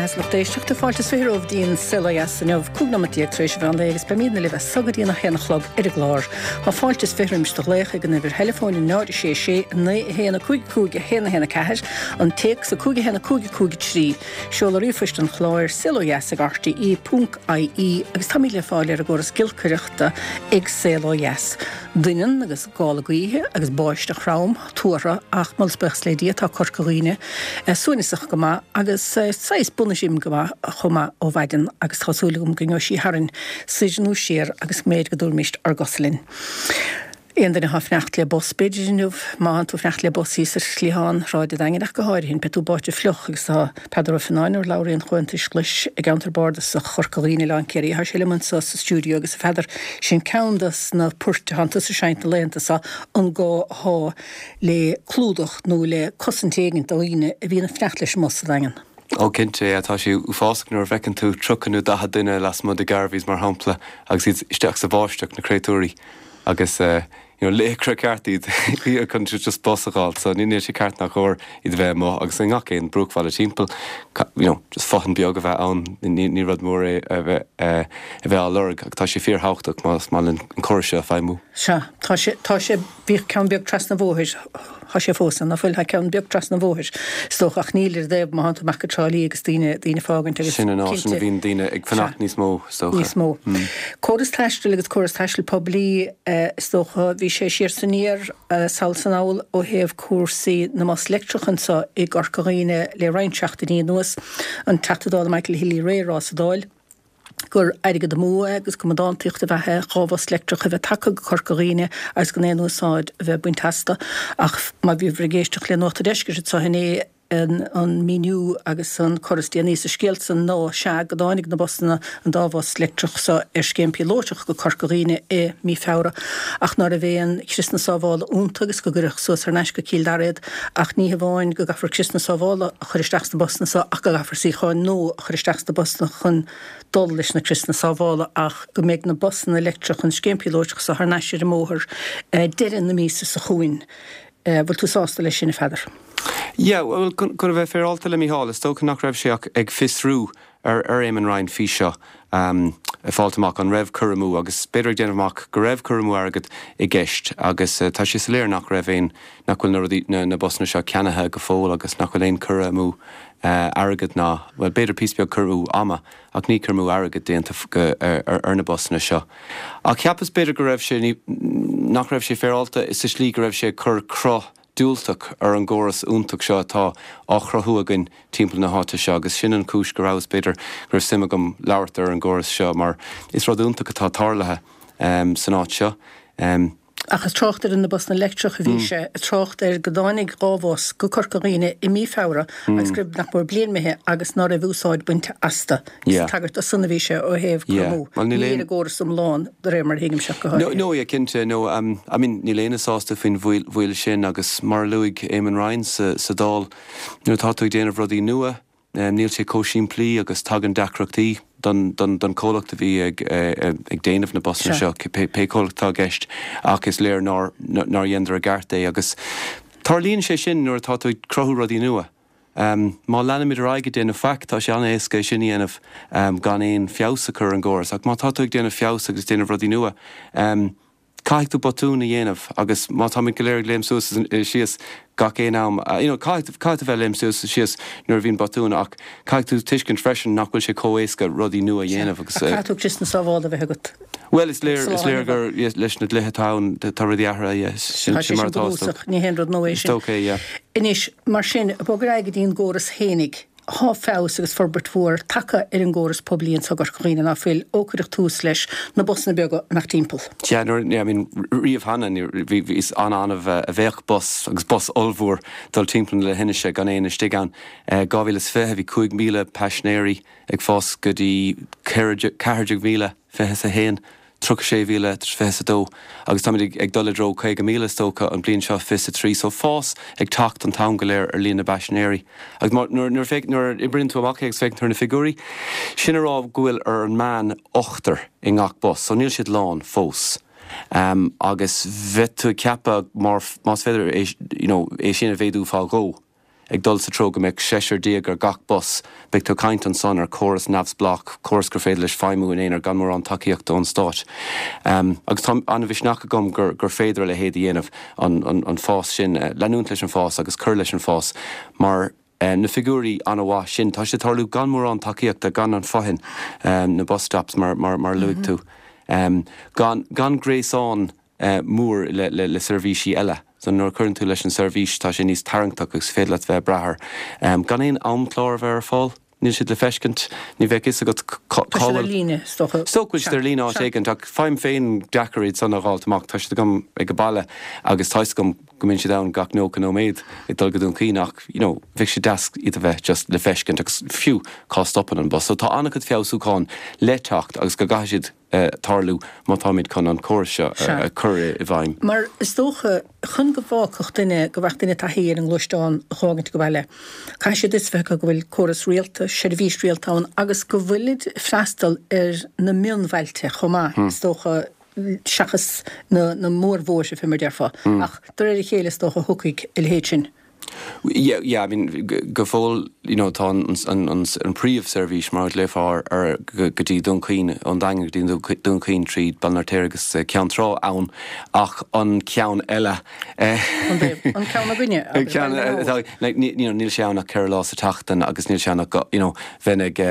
beatha is lucht éisteachta, fáilte is 20 romhaibh go dtí an Saol Ó Dheas inniu, 15 nóimeat tar éis an mheán lae agus beimidne libh as so go dtí an 1 a chlog ar an gclár. Tá fáilte is 20 roimis do ghlaoch ag an uimhir theileafóin 0 6 6 9 1 5 5 1 1 4, an téacs 5 1 5 5 3, seoladh ríomhphoist an chláir, saolodheas ag rte ponc ie agus táimid le fáil ar an gcóras giolcaireachta ag Saol Ó Dheas. Doineann agus gála gaoithe agus báisteach throm tuartha ach moladh is buíochas le Dia tá Corca Dhuibhne suaimhneasach go maith agus saghas bainis go maith chomh maith ó mhaidin agus tá súil agam go ngeobhaidh sí tharainn soir nó siar agus go mb'fhéidir go dtabharfaimíst ár gcosa linn. Aon duine atá ag fanacht le bus b'fhéidir inniu, má thánn tú ag fanacht le bus thíos ar chliathán Shráid an Daingin ach go háirithe, beidh tú báite fliuch agus tá Peadar Ó Fionnáin, urlabhraí an Chomhaontais Ghlais i gceantar bardasach Chorca Dhuibhne, Oileán Ciarraí. Tá sé liom anseo sa stiúideo agus a Pheadair, sin ceann dos na poirt atánn tusa ag seinnt na laethanta seo, an gá athá le clúdach nó le cosaint éigint do dhaoine a bhíonn ag fanacht leis an mbus sa Daingean. Ó cinnte, yeah, tá sé uafásach nuair a bhfeiceann tú 30 nó 40 duine lasmuigh de Garveys mar shampla agus iad isteach sa bháisteach, na créatúirí agus eh, you know, laochra ceart iad chun just bus a dh'fháil so níl sé ceart ná cóir iad a bheith amuigh agus i ngach aon bruachbhaile timpeall you know, just fothain beag a bheith ann ní rud mór é a bheith a bheith á lorg ach tá sé fíorthábhachtach más maith linn an córas seo a feidhmiú. Sea, tá sé, tá sé, bhíodh ceann beag trasna an bhóthair, tá sé fós ann, ná fuil, tá ceann beag trasna an bhóthair, is dócha, ach níl ar an dtaobh má thánn tú amach go Trá Lí agus daoine, daoine ag fágaint agus Sin an áit ina bhíonn daoine ag fanacht níos mó, is dócha. Níos mó. Córas taistil agus córas taistil poiblí, is dócha, bhí sé siar 's aniar, sall 's anall ó thaobh cúrsaí na mbus leictreach anseo i gCorca Dhuibhne le roinnt seachtainí anuas. An Teachta Dála Michael Healy-Rae ag rá sa Dáil gur airgead amú é agus go mb'ampadántaíocht a bheadh é 2 bhus leictreach a bheith tagtha go Corca Dhuibhne agus gan aon úsáid a bheith bainte astu. Ach má bhíobhair ag éisteacht le Nuacht an Deiscirt anseo inné, an míniú agus an cur is déanaí sa scéal san ná, sea, go dtáinig na busanna, an dá bhus leictreach so, ar scéim píolótach go Corca Dhuibhne i mí Feabhra ach ná raibh aon chriosanna sábhála iontu agus go gcuireadh suas thar n-ais go Cill Dara iad ach ní hamháin go gcaithfear criosanna sábhála a chur isteach sna busanna so ach go gcaithfear suíocháin nua a chur isteach sna busanna chun dul leis na criosanna sábhála ach go mbeidh na busanna leictreacha an scéim píolótach so thar n-ais ar an mbóthar deireadh na míosa seo chugainn. Bhfuil tú sásta leis sin, a Pheadair? Yeah, bhuel, chun a bheith féaráilte le Mícheál, is dócha nach raibh sé ach ag fiosrú ar ar Éamon Ryan faoi seo, ag fáilt amach an raibh cur amú, agus b'fhéidir ag déanamh amach go raibh cur amú airgid i gceist, agus tá sé soiléir nach raibh aon, nach bhfuil na rudaí, na na busanna seo ceannaithe go fóill agus nach bhfuil aon cur amú airgid ná, bhuel, b'fhéidir píosa beag cur amú ama, ach ní cur amú airgid déanta ar na busanna seo. Ach cheapas b'fhéidir go raibh sé, nach raibh sé féaráilte sa slí go raibh sé ag cur cruth diúltach ar an gcóras iontach seo atá á chruthú againn timpeall na háite seo agus sin an chúis go rabhas, b'fhéidir, go raibh suim agam labhairt ar an gcóras seo mar is rud iontach atá tarlaithe san áit seo. Ach ag trácht ar na busanna leictreach a bhí sé, ag trácht ar go dtáinig 2 bhus go Corca Dhuibhne i mí Feabhra agus go raibh nach mór bliain imithe agus ná raibh úsáid bainte astu. Is ag tagairt do san a bhí sé ó thaobh cur amú. Ní ar an gcóras iomlán, de réir mar a thuigimse ach go háirithe. No, yeah, cinnte. No, I mean, níl éinne sásta faoin mhoill sin agus mar a luaigh Éamon Ryan sa Dáil, nuair atá tú ag déanamh rudaí nua, Níl sé chomh simplí agus tagann deacrachtaí don chomhlacht a bhí ag déanamh na busanna seo, pé comhlacht atá i gceist, ach is léir nár dheineadar i gceart é. Agus tarlaíonn sé sin nuair atá tú ag cruthú rudaí nua. Má leanaimid ar aghaidh ag déanamh faic, tá sé an-éasca é sin a dhéanamh gan aon feabhas a chur ar an gcóras. Ach má tá tú ag déanamh feabhas agus ag déanamh rudaí nua, Caithfidh tú botúin a dhéanamh agus má táimid go léir ag léim suas is síos gach aon am, you know, caithfidh, caithfidh tú bheith ag léim suas is síos nuair a bhíonn botúin ach caithfidh tú tuiscint freisin nach bhfuil sé chomh éasca rudaí nua a dhéanamh agus. Ach caithfidh tú criosanna sábhála a bheith agat. Bhuel, is léir, is léir gur leis na dlíthe atá ann, tá rudaí athraithe, yeah, sin, sin mar atá, is dócha. Ní haon rud nua é sin. Is dócha é, yeah. Anois, mar sin, bog ar aghaidh go dtí an gcóras fhéinig. Thá feabhas agus forbairt mhór tagtha ar an gcóras poiblí anso i gCorca Dhuibhne, ná fuil, ó cuireadh tús leis na busanna beaga amach timpeall. Sea, nuair, I mean, riamh cheana, ní, bhí, bhí, is an-annamh a bheadh bus, agus bus ollmhór, dul timpeall na leithinise gan éinne istigh ann. 2020, bhí 5,000 paisinéirí ag fás go dtí 14,000, 21. 36,022 agus táimid ag dul i dtreo 50,000 is dócha an bhliain seo 23 so fás ag teacht an t-am go léir ar líon na bpaisinéirí agus má nuair nuair féach nuair a oibríonn tú amach é agus féachann tú ar na figiúirí sin a rá go bhfuil ar an meán ochtar i ngach bus so níl siad lán fós um, agus bheadh tú ag ceapadh mar más féidir é you know, é sin a mhéadú fá dhó. ag dul sa treo go mbeadh seisear déag ar gach bus, beidh tú ag caint ansan ar chóras neamhspleách, córas gur féidir leis feidhmiú in aonar gan mórán tacaíochta ón Stát. Agus tá an-mhisneach agam gur gur féidir a leithéid a dhéanamh, an an fás sin, leanúint leis an bhfás agus cur leis an bhfás mar na figiúirí an-mhaith sin, tá siad ag tarlú gan mórán tacaíochta, gan an fothain, na bus stops mar mar mar a luaigh tú, gan gan gréasán mór le seirbhísí eile. So nuair a chuireann tú leis an seirbhís tá sé níos tarraingteach agus is féidir leat bheith ag brath air. Gan aon amchlár a bheith ar fáil, níl siad le feiscint, ní bheadh fhios agat cá Tá siad ar líne, is dócha. Is dócha go bhfuil siad ar líne áit éigint ach faighim féin deacair iad san a dh'fháilt amach. Tá siad agam ag an baile agus tá fhios agam go mbíonn siad ann gach 90 nóiméad ag dul go Dún Chaoin ach you know bheadh sé deas iad a bheith just le feiscint agus fiú cá stopann an bus. So tá an-chuid feabhsúchán le teacht agus go gcaithfidh siad tarlú má táimid chun an córas seo a chur i bhfeidhm. Mar is dócha, chun go bhfágfadh duine, go bhfaigheadh duine taithí ar an ngluaisteán a dh'fhágaint ag baile, caithfidh siad fhios bheith acu go bhfuil córas rialta, seirbhís rialta ann agus go bhfuilid ag freastal ar na mionbhailte chomh maith, is dócha, seachas na na mórbhóithre, fé mar déarfá. Ach de réir a chéile, is dócha, thiocfaidh a leithéid sin. Yeah, yeah, I mean, go fóill, you know, tá an, an, an, an príomhseirbhís, mar a ghlaofá air, go dtí Dún Chaoin, ón Daingean go dtí Dún Chaoin tríd Baile an Fheirtéaraigh agus Ceann Trá ann, ach an ceann eile, An taobh, an ceann againne, an ceann, atá, like, ní, you know, níl sé ann ach 4 lá sa tseachtain agus níl sé ann ach go, you know, bheinn ag,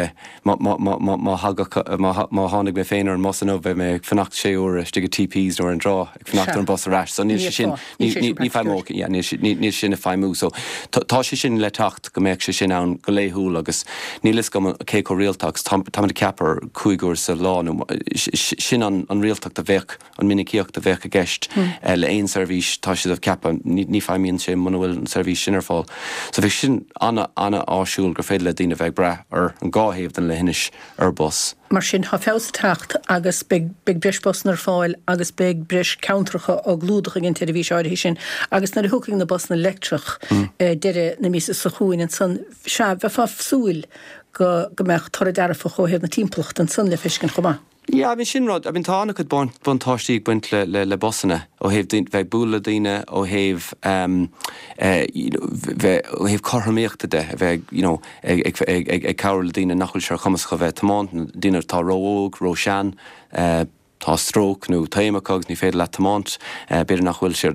má, má, má, má, má thagadh, má, má tháinig mé féin ar an mbus inniu, bheadh mé ag fanacht sé uaire istigh i TPs nó ar an dtrá ag fanacht ar an bus ar ais, so níl sé sin, Ní feidhmeoidh, yeah, níl sin ag feidhmiú. So tá sé sin le teacht go mbeadh sé sin ann go laethúil agus níl fhios agam cé chomh rialta agus táimid ag ceapadh 5 uair sa lá nó sin an rialtacht a bheadh, an minicíocht a bheadh i gceist le aon seirbhís, tá siad ag ceapadh, ní feidhmíonn sé muna bhfuil an seirbhís sin ar fáil. So bheadh sin an-áisiúil gur féidir le daoine bheith ag brath ar an dhá thaobh den leithinis ar bus. Mar sin, tá feabhas ag teacht agus beidh breis busanna ar fáil agus beidh breis ceantracha á gclúdach ag an tseirbhís áirithe sin agus nuair a thiocfaidh na busanna leictreach deireadh na míosa seo chugainn ansan, sea, bheifeá ag súil go go mbeadh toradh dearfach ó thaobh na timpeallachta ansan le feiscint chomh maith. Yeah, I mean sin rud, I mean tá an-chuid buntáistí ag baint le le le busanna ó thaobh bheith ag bualadh le daoine, ó thaobh you know bheith, ó thaobh cothromaíochta de, a bheith you know ag cabhrú le daoine nach bhfuil sé ar chumas acu bheith ag tiomáint, na daoine atá ró-óg, ró-shean, tá stróc nó taom acu agus ní féidir leat tiomáint, b'fhéidir nach bhfuil sé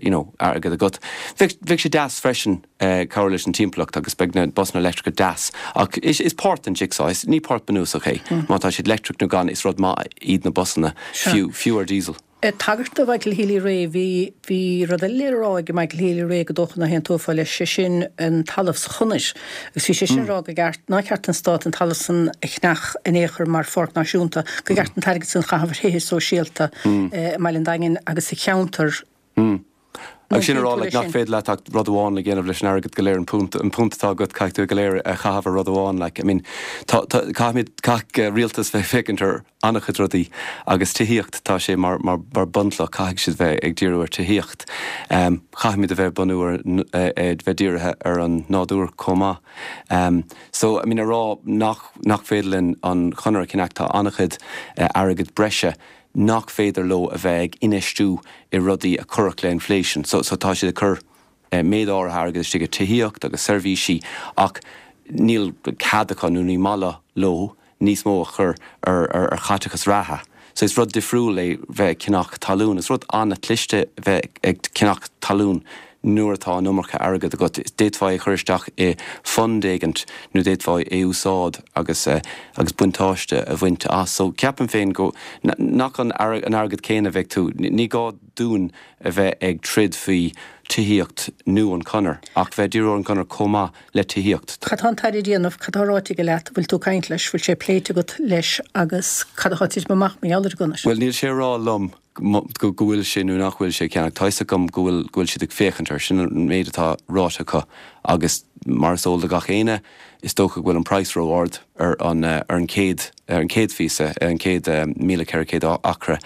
you know airgead agat. Bheadh, bheadh sé deas freisin cabhrú leis an timpeallacht agus beidh na busanna leictreacha deas ach is, is páirt den jigsaw, is, ní páirt bunúsach é. Má tá siad leictreach nó gan, is rud maith iad na busanna, fiú, fiú ar diesel. Ag tagairt do Mhichael Healy-Rae, bhí, bhí rud eile le rá ag Michael Healy-Rae go dócha nach aontófá leis, sé sin an talamh sa chonair. Agus bhí sé sin ag rá gur ceart, nár cheart don stát an talamh san a cheannach in aon chor mar pháirc náisiúnta, gur cheart an t-airgead san a chaitheamh ar thithe sóisialta i mBaile an Daingin agus sa cheantar. Agus sin a rá like nach féidir leat ach rud amháin le dhéanamh leis an airgead go léir, an punt, an punt atá agat, caithfidh tú é go léir a chaitheamh ar rud amháin like. I mean tá, tá, caithfimid, caithfidh rialtas bheith ag féachaint ar an-chuid rudaí agus tithíocht, tá sé mar, mar, mar bunchloch, caithfidh siad bheith ag díriú ar tithíocht. Caithfimid a bheith ag bunú ar, bheith dírithe ar an nádúr chomh maith. So, I mean a rá nach, nach féidir linn an chonair a cheannach, tá an-chuid airgead breise nach féidir leo a bheith ag infheistiú i rudaí a chuirfeadh le inflation. So, so tá siad ag cur méid áirithe airgid istigh i tithíocht agus seirbhísí ach níl cead acu nó ní maith leo níos mó a chur ar, ar, ar chaiteachas reatha. So is rud difriúil é bheith ag ceannach talún. Is rud an-chliste bheith ag ceannach talún nuair atá an iomarca airgead agat. D'fhéadfá é a chur isteach i fund éigint nó d'fhéadfá é a úsáid agus agus buntáiste a bhaint as. So ceapaim féin go nach an an airgead céanna a bheidh tú, ní gá dúinn a bheith ag troid faoi tithíocht nó an chonair ach bheith ag díriú ar an gconair chomh maith le tithíocht. Cad tá an tAire a dhéanamh? Cad tá ráite aige leat? Bhfuil tú ag caint leis? Bhfuil sé pléite agat leis agus cad atá ag titim amach mar gheall ar an gconair? Bhuel níl sé a rá liom go bhfuil sé nó nach bhfuil sé ag ceannach. Tá fhios agam go bhfuil, go bhfuil siad ag féachaint air. Sin an méid atá ráite acu agus mar is eol do gach éinne, is dócha go bhfuil an praghas ró-ard ar an, ar an chéad, ar an chéad phíosa, ar an chéad 1,400 acra.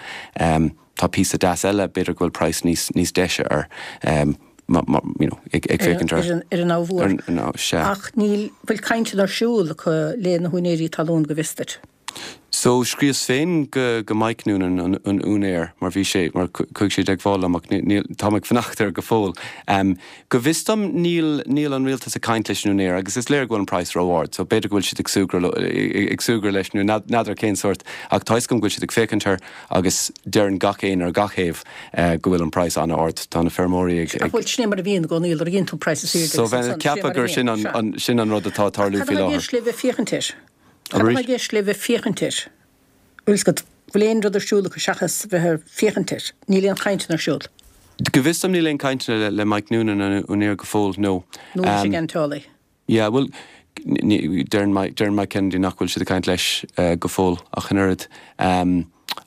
Tá píosa deas eile, b'fhéidir go bhfuil praghas níos, níos deise air, you know, ag féachaint air. Ar an Abha Mhór. Sea. Ach níl, bhfuil cainteanna ar siúl acu le na húinéirí talún go bhfios duit? So, scríos féin go go Mike Noonan, an an úinéir, mar bhí sé, mar chuaigh sé i dteagmháil liom ach níl, táim ag fanacht air go fóill. Go bhfios dom níl, níl an rialtas ag caint leis an úinéir agus is léir go bhfuil an praghas ró-ard so b'fhéidir go bhfuil siad ag súgradh ag súgradh leis nó n'fheadar cén sórt ach tá 'fhios agam go bhfuil siad ag féachaint air agus deireann gach éinne ar gach thaobh go bhfuil an praghas an-ard. Tá na feirmeoirí ag, ag. Ach bhuel, sin é mar a bhíonn i gcónaí, lorgaíonn tú an praghas is airde agus ansan, sin é mar a bhíonn. So bheinn ag ceapadh gur sin an, sin an rud atá ag tarlú faoi láthair. Cad atá i gceist libh ag féachaint air? Cad atá i gceist libh ag féachaint air? Bhfuil fhios agat, bhfuil aon rud ar siúl acu seachas bheith ag féachaint air? Níl aon chainteanna ar siúl? Go bhfios dom níl aon cainteanna le Mike Noonan, an úinéir go fóill, no. Nó leis an gceantálaí? Yeah, bhuel, deireann Mike, deireann Mike Kennedy nach bhfuil siad ag caint leis go fóill ach an oiread.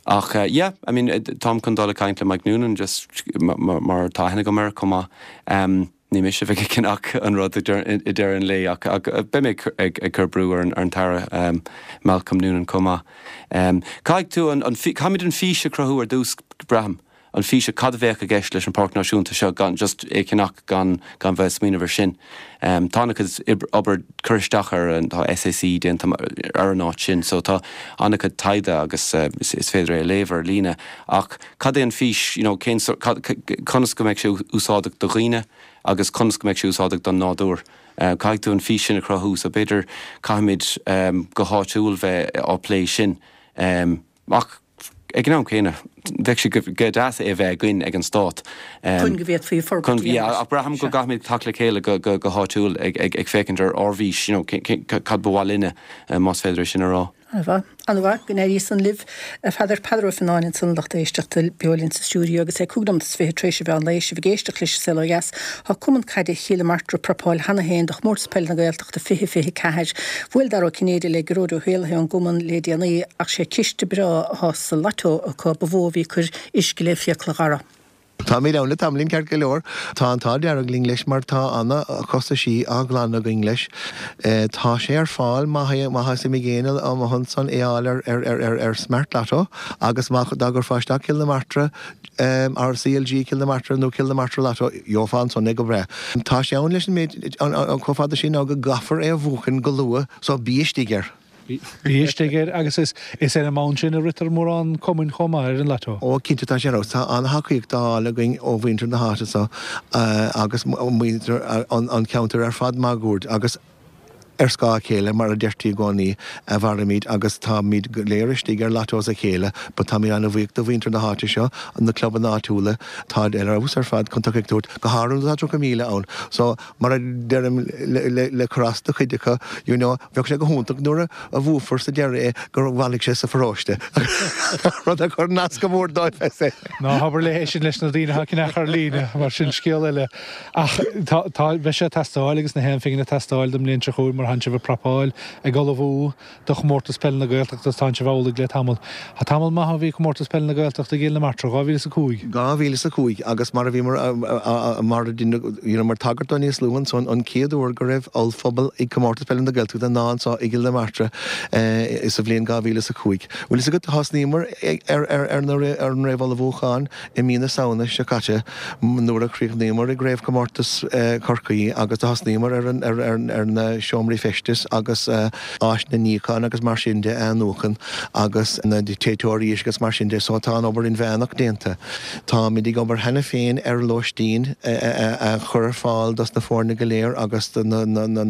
Ach yeah, I mean, táim chun dul ag caint le Mike Noonan just mar tá aithne agam air chomh maith. Ní mise a bheidh ag ceannach an rud i deireadh an lae ach beidh mé ag cur brú ar an tAire Malcolm Noonan chomh maith. Caithfidh tú an, caithfimid an fís a chruthú ar dtús, braithim, an fís, cad a bheadh i gceist leis an Pháirc Náisiúnta seo gan just é a cheannach gan gan bheith ag smaoineamh ar sin. Tá an-chuid obair curtha isteach ar an, tá SAC déanta ar an áit sin so tá an-chuid taighde agus is féidir é a léamh ar líne ach, Cad é an fís, you know, cén sórt, cad, conas go mbeidh sé úsáideach do dhaoine agus conas go mbeidh sé úsáideach don nádúr. Caithfidh tú an fís sin a chruthú so b'fhéidir caithfimid go háitiúil bheith á plé sin. Ach ag an am céanna, bheadh sé go deas é a bheith againn ag an stát. Chun go bhféadfaí forbairt a dhéanamh. Yeah, ach braithim go gcaithfimid teacht le chéile go háitiúil ag féachaint ar ár bhfís, you know, cad ba mhaith linne, más féidir é sin a rá. An-mhaith. An-mhaith. Go n-éirí san libh, a Pheadair. Peadar Ó Fionnáin ansan, lucht éisteachta, beo linn sa stiúideo agus é 25 nóiméad tar éis an mheán lae. Sibh ag éisteacht leis An Saol Ó Dheas. Tá Cumann Caide Chill na Martra ag prapáil cheana féin do Chomórtas Peile na Gaeltachta 2024. Bhuail Dara Ó Cinnéide le Gearóid Ó hÉallaithe ón gcumann le déanaí ach sé ciste breá atá sa Lotto acu ba mhó a bhí ag cur uisce le fiacla Dhara. Táimid ann le tamaillín ceart go leor. Tá an t-ádh dearg linn leis mar tá ana chostaisí á ghlanadh againn leis. Tá sé ar fáil má tá suim ag éinne amuigh ansan é fháil ar ar ar Smart Lotto agus má dá gcuirfeá isteach Cill na Martra or CLG Cill na Martra nó Cill na Martra Lotto gheofá ansan é go breá. Tá sé ann leis an méid chomh fada sin ná go gcaithfear é a bhuachan go luath so bí istigh air. Bí istigh air agus is ar an mbonn sin a ritear mórán cumainn chomh maith, ar an Lotto. Ó, cinnte, tá sé ar fheabhas. Tá an-thacaíocht á fháil againn ó mhuintir na háite seo agus muintir an cheantair ar fad máguaird agus ar scáth a chéile, mar a deirtí i gcónaí, a mhairimid agus táimid go léir istigh ar Lottos a chéile but táimid an-bhuíoch do mhuintir na háite seo, na clubanna áitiúla, táid ar fheabhas ar fad chun tacaíocht a thabhairt, go háirithe nuair atá 30,000 ann. So. Mar a deirim le cur as do chuid acu, you know, bheadh sé go hiontach nuair a bhuafar sa deireadh é gur bhailigh sé sa pharóiste, rud a chuireann as go mór dóibh. Ná habair é sin leis na daoine atá ag ceannach ar líne, mar sin scéal eile. Ach tá, tá, beidh sé ag teastáil agus na haon phingin ag teastáil don mbliain seo chugainn mar tánn sibh ag prapáil, ag ullmhú. do Chomórtas Peile na Gaeltachta tánn sibh amhlaidh le tamall. Tá tamall maith ó bhí Comórtas Peile na Gaeltachta i gCill na Martra, 2005. 2005 agus mar a bhíomar mar a you know mar tagairt dó níos luaithe ansan an chéad uair go raibh ollphuball ag Comórtas Peile na Gaeltachta ná anso i gCill na Martra sa bhliain 2005. Bhfuil fhios agat thosnaíomar ar ar ar na ar an réamhullmhúchán I mí na Samhna seo caite, nuair a chríochnaíomar i gCraobhchomórtas Chorcaí agus do thosnaíomar ar na seomraí feistis agus áiseanna níocháin agus mar sin de a athnuachan agus na téiteoirí uisce agus mar sin de, so tá an obair inmheánach déanta. Táimid ag obair cheana féin ar lóistín a chur ar fáil dos na foirne go léir agus do na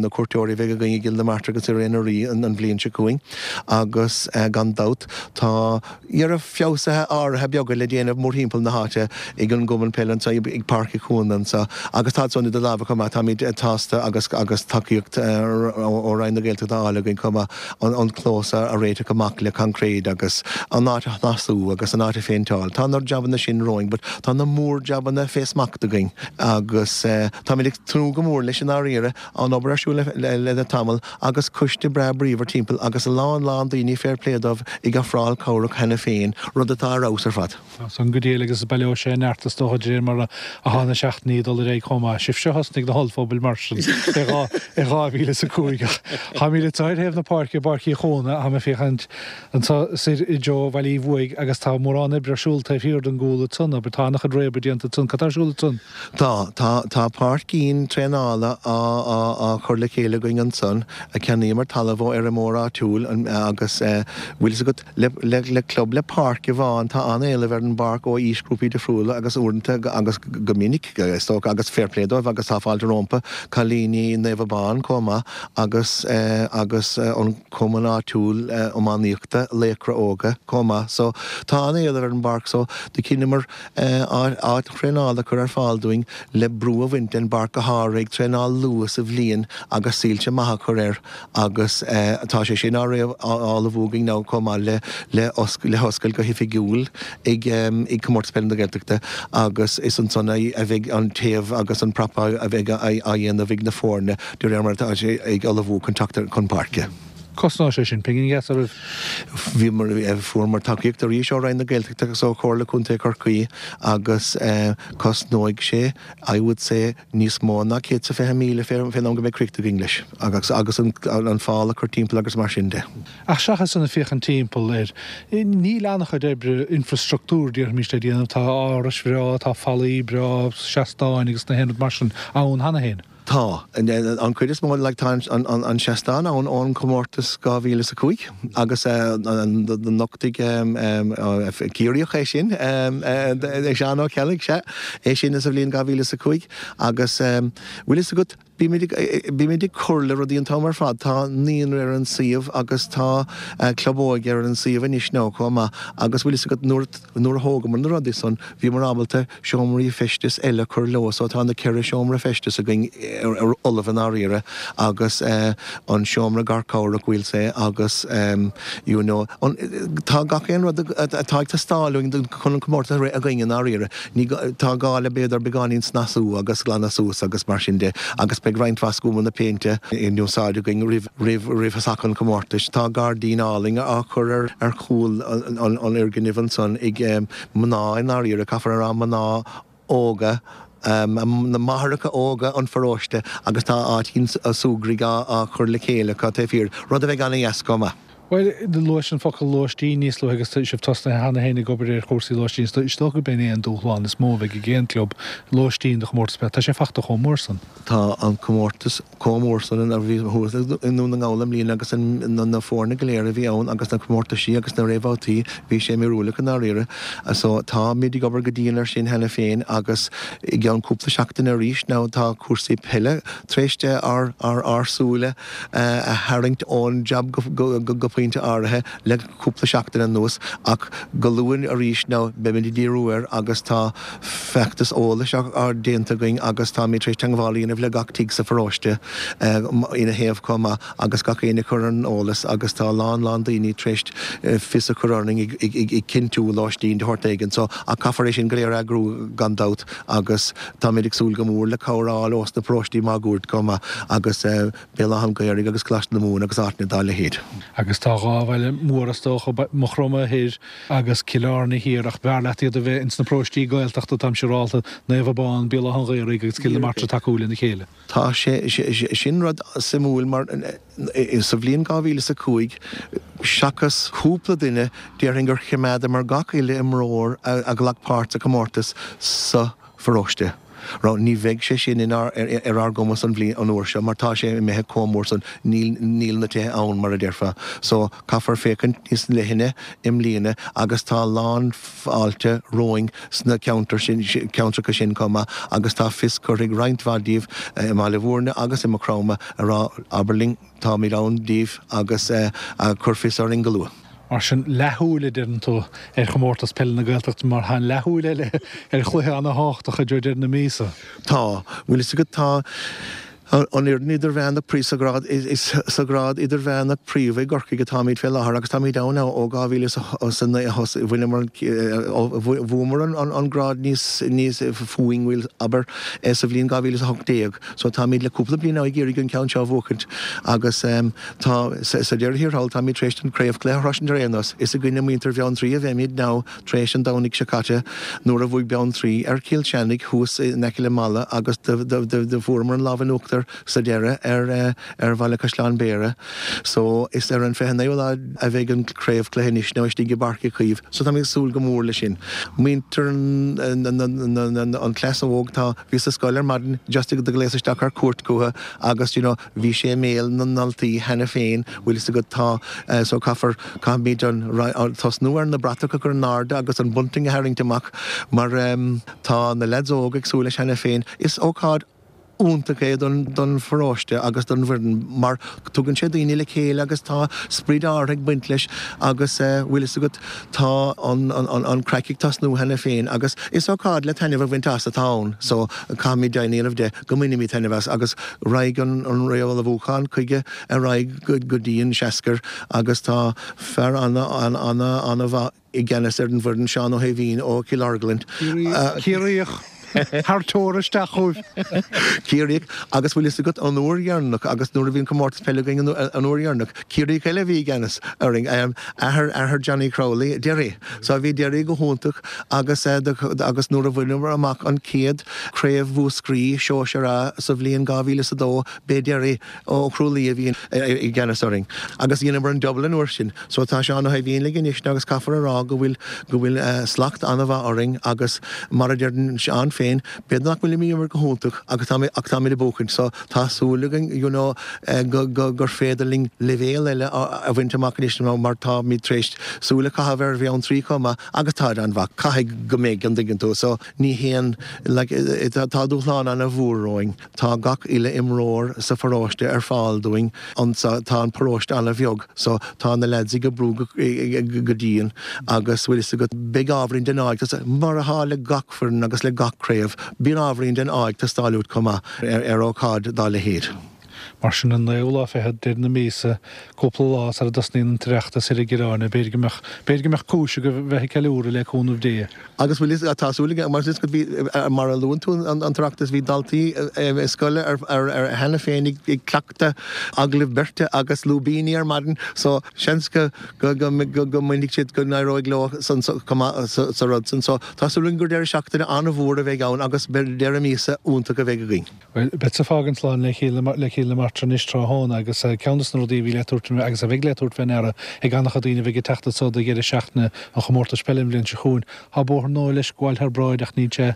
cuairteoirí a bheidh againn i gCill na Martra agus i rith na Rí an bhliain seo chugainn agus gan dabht tá Dhera feabhsuithe áirithe beaga le déanamh mórthimpeall na háite ag an gcumann peile anseo, ag Páirc Uí Chuana anseo agus tá san idir lámha chomh maith. Táimid sásta agus agus tacaíocht ó Roinn na Gaeltachta á fháil againn chomh maith an clós a réiteach amach le coincréid agus an áit a shnasú agus an áit a phéinteáil. Tá na jabanna sin romhainn but tá na mór-jabanna fé smacht againn agus táimid ag tnúth go mór leis i ndáiríre. An obair ar siúl le tamall agus coiste breá bríomhar timpeall agus a lán lán daoine fair play dóibh ag ofráil cabhrach cheana féin, rud atá ar fheabhas ar fad. Tá san go diail agus baileoidh sé neart is dócha de réir mar atá na seachtainí ag dul ar aghaidh chomh maith. Sibhse a thosnaigh na hollphubaill mar sin i 2005. 5 ach táimid anseo ar thaobh na páirce i bPáirc Uí Chuana, tá mé ag féachaint anseo soir i dtreo Bhaile Uí Bhuaigh agus tá mórán oibre ar siúl taobh thiar den gcúl ansan, abair, tá an-chuid réabadh déanta ansan, cad tá ar siúl ansan? Tá, tá, tá páircín traenála á, á, á chur le chéile againn ansan, cheannaíomar talamh ó fheirmeoir áitiúil agus eh, bhfuil fhios agat, le, le, le club le páirc amháin tá an-éileamh ar an bpáirc ó aoisghrúpaí difriúla agus uaireanta agus go minic is dócha agus fair play dóibh agus tá fáilte rómpa, cailíní Naomh Abán chomh maith agus eh, agus an cumann áitiúil iománaíochta Laochra Óga chomh maith so tá an-éileamh ar an bpáirc so do chinneamar áit thraenála a chur ar fáil dúinn le brú a bhaint den bpáirc go háirithe ag traenáil luath sa bhliain agus soilse maithe a chur air agus tá sé sin á ullmhú againn now chomh maith le le hoscailt go hoifigiúil ag ag Comórtas Peile na Gaeltachta agus is ansan a bheidh an téamh agus an prapáil a bheidh á dhéanamh ag na foirne de réir mar atá sé ag ullmhú chun teacht chun páirce. Cosnóidh sé sin pingin dheas oraibh. Bhíomar, fuaireamar tacaíocht arís ó Roinn na Gaeltachta agus ó Chomhairle Contae Chorcaí agus cosnóidh sé, I would say, níos mó ná 120,000 fén am go mbeidh críochnaithe againn leis agus agus an fál a chur timpeall agus mar sin de. Ach seachas san ag féachaint timpeall air, níl an-chuid oibre infreastruchtúir, déarfaimis, le déanamh. Tá árais bhreá, tá fallaí breá, seastáin agus na haon rud mar sin ann cheana féin. Tá. An chuid is mó, like, tá an seastán ann ón chomórtas 2005 agus do nochtaigh Ciarraíoch é sin, Seán Ó Ceallaigh, sea, é sin sa bhliain 2005 agus bhfuil fhios agat, bímid ag, bímid ag cur le rudaí an t-am ar fad, tá naíonra ar an suíomh agus tá club óige ar an suíomh anois now chomh maith agus bhfuil fhios agat nuair, Nuair a thógamar na rudaí san, bhíomar ábalta seomraí feistis eile a chur leo so tá na ceithre seomra feistis againn ar ullamh i ndáiríre agus an seomra garchabhrach we'll say agus you know an, tá gach aon rud atá ag teastáil uainn chun an comórtas a rith againn i ndáiríre. Ní, tá gá le b'fhéidir beagáinín snasú agus glanadh suas agus mar sin de agus beidh roinnt mhaith scuamanna péinte in úsáid againn roimh, roimh, roimh thosach an chomórtais. Tá gairdín álainn á chur ar, ar chúl an fhoirgnimh ansan ag mná i ndáiríre, caithfear a rá, mná óga, na máithreacha óga an pharóiste agus tá áitín súgraidh á chur le chéile acu taobh thiar, rud a bheidh ana-dheas chomh maith. Bhuel, luais an focal lóistín níos luaithe agus tá sibh tosnaithe cheana féin ag obair ar chúrsaí lóistín. Is dócha gurb in é an dúshlán is mó a bheidh ag aon club, lóistín do chomórtas peile. Tá sé fachta chomh mór san. Tá an comórtas chomh mór san a bhí thuas i nDún na nGall i mbliana agus na foirne go léir a bhí ann agus na comórtaisí agus na réamhbhabhtaí, bhí sé míorúileach i ndáiríre. So táimid ag obair go dian air sin cheana féin agus i gceann cúpla seachtaine arís now tá cúrsaí peile tar éis ár ár súile a tharraingt ón jab go pointe áirithe le cúpla seachtain anuas ach go luath arís now beimid ag díriú air agus tá feachtas eolais á déanta againn agus táimid tar éis teagmháil a dhéanamh le gach tigh sa pharóiste ina thaobh chomh maith agus gach éinne a chur ar an eolas agus tá a lán lán daoine tar éis fios a chur orainn ag cinntiú lóistín de shórt éigin so ach caithfear é sin go léir a eagrú gan dabht agus táimid ag súil go mór le cabhair a fháil ós na paróistí máguaird chomh maith agus Béal Átha an Ghaorthaidh agus Coláiste na Mumhan agus áiteanna dá leithéid. Agus tá dhá bhaile mór is dócha, Maigh Chromtha thoir agus Cill Airne thiar, ach b'fhearr leat iad a bheith ins na paróistí Gaeltachta, táim siúrálta, Naomh Abán, Béal Átha an Ghaorthaidh agus Cill na Martra tacú lena chéile. Tá sé sin rud suimiúil mar sa bhliain 2005, seachas cúpla duine, déarfainn gur choimeádamar gach uile imreoir a ghlac páirt sa chomórtas sa pharóiste. Raibh, ní bheidh sé sin in ár, ar ár gcumas an bhliain, an uair seo mar tá sé imithe chomh mór san, níl, níl na tithe ann mar a déarfá. So, caithfear féachaint níos leithne i mbliana agus tá a lán fáilte romhainn sna ceantair sin, ceantracha sin chomh maith agus tá fios curtha ag roinnt mhaith díobh i mBaile Bhúirne agus i Maigh Chromtha a rá, abair linn, táimid ann daoibh agus cuir fios orainn go luath. Mar sin, leathshúil, a deireann tú, ar chomórtas peile na Gaeltachta mar tá an leathshúil eile ar chluiche ana-thábhachtach i dtreo deireadh na míosa. Tá. Bhfuil fhios agat, tá an fhoireann idirmheánach príomha sa ghrád, is sa ghrád idirmheánach príomha i gCorcaigh atáimid fé láthair agus táimid ann ó 2009 a thosaigh, bhaineamar an, bhuamar an grád níos, níos fúinn, bhuel, abair, sa bhliain 2018. So táimid le cúpla bliain now ag iarraidh an ceann seo a bhuachaint agus tá, sa deireadh thiar thall, táimid tar éis an craobhchluiche a shroisint ar aon nós. Is i gcoinne muintir Bheanntraí a bheimid now tar éis an Domhnaigh seo caite nuair a bhuaigh Beanntraí ar Chill Chainnigh thuas in aice le Mala agus do fuaireamar an lámh in uachtar. uachtar sa deireadh ar ar Bhaile Caisleáin Bhéarra. So is ar an 29ú lá a bheidh an craobhchluiche anois now istigh i bPáirc Uí Chaoimh. So táimid ag súil go mór leis sin. Muintir an cleas óg tá, bhíos sa scoil ar maidin just ag gléasadh isteach ar cuairt chucu agus you know bhí sé i mbéal na ndaltaí cheana féin bhfuil fhios agat tá so caithfear, caithfimid an, tosnú ar na bratacha a chur in airde agus an bunting a tharraingt amach mar tá na leaids óga ag súil leis cheana féin. Is ócáid iontach é don pharóiste agus don bhfoireann mar tugann sé daoine le chéile agus tá sprid áirithe ag baint leis agus bhfuil fhios agat tá an craic ag tosnú cheana féin agus is ócáid le taitneamh a bhaint as atá ann so caithfimid deimhin a dhéanamh de go mbainfimid taitneamh as agus raghaidh an réamhullmhúchán chuige ar aghaidh go dtí an Seascair agus tá fear ana-ana-ana-mhaith i gceannas ar an bhfoireann, Seán Ó hAoibhín ó Chill Orglan. Ciarraíoch thar teora isteach chugaibh. Ciarraíoch, agus bhfuil fhios agat, an uair dheireanach, agus nuair a bhí an comórtas peile againn an uair dheireanach, Ciarraíoch eile a bhí i gceannas orainn, athair, athair Johnny Crowley, Derry. So bhí Derry go hiontach agus, agus nuair a bhaineamar amach an chéad Craobh Mhúscraí Sóisear A sa bhliain 2002, b'é Derry Ó Crualaoi a bhí i gceannas orainn agus dheineamar an double an uair sin. So tá Seán Ó hAoibhín linn anois agus caithfear a rá go bhfuil, go bhfuil slacht an-mhaith orainn agus mar a deireann Seán féin, b'fhéidir nach bhfuilimid ag imirt go hiontach agus tá, ach táimid ag buachaint so tá súil againn you know go, go, gur féidir linn leibhéal eile a bhaint amach anois mar táimid tar éis súil a chaitheamh ar Bheanntraí chomh maith agus táid an-mhaith, caithfidh go mbeidh an dtuigeann tú so ní haon like tá dúshlán an-mhór romhainn. Tá gach uile imreoir sa pharóiste ar fáil dúinn anso. Tá an paróiste an-bheag so tá na leaids ag oibriú go dian agus bhfuil fhios agat, beidh ábhairín den ádh ag teastáil, mar atá le gach foireann agus le gach craobh, bíonn ábhairín den ádh ag teastáil uait chomh maith ar ócáid dá leithéid. Mar sin, an naoú lá fichead, deireadh na míosa, cúpla lá sara dtosnaíonn an tOireachtas thoir i gCill Airne, b'fhéidir go mbeadh, b'fhéidir go mbeadh cúis agaibh bheith ag ceiliúradh le cúnamh Dé. Agus bhfuil fhios, tá súil agam, mar is go bhí, mar a luann tú an tOireachtas, bhí daltaí scoile ar cheana féin ag cleachtadh agallaimh beirte agus lúibíní ar maidin so seans go go mbainfidh siad, go n-éireoidh leo san chomh maith sa rud san. So tá súil againn gur deireadh seachtaine an-mhór a bheidh ann agus deireadh míosa iontach a bheidh againn. Bhuel, beadsa ag fágaint slán le Cill le Cill na Martra anois tráthnóna agus ceann de na rudaí a bhí le tabhairt agus a bheidh le tabhairt fé ndeara ag an-chuid daoine a bheidh ag teacht anso do dheireadh seachtaine an chomórtais peile an bhliain seo chugainn. Tá bóthar nua leis ag gabháil thar bráid ach níl sé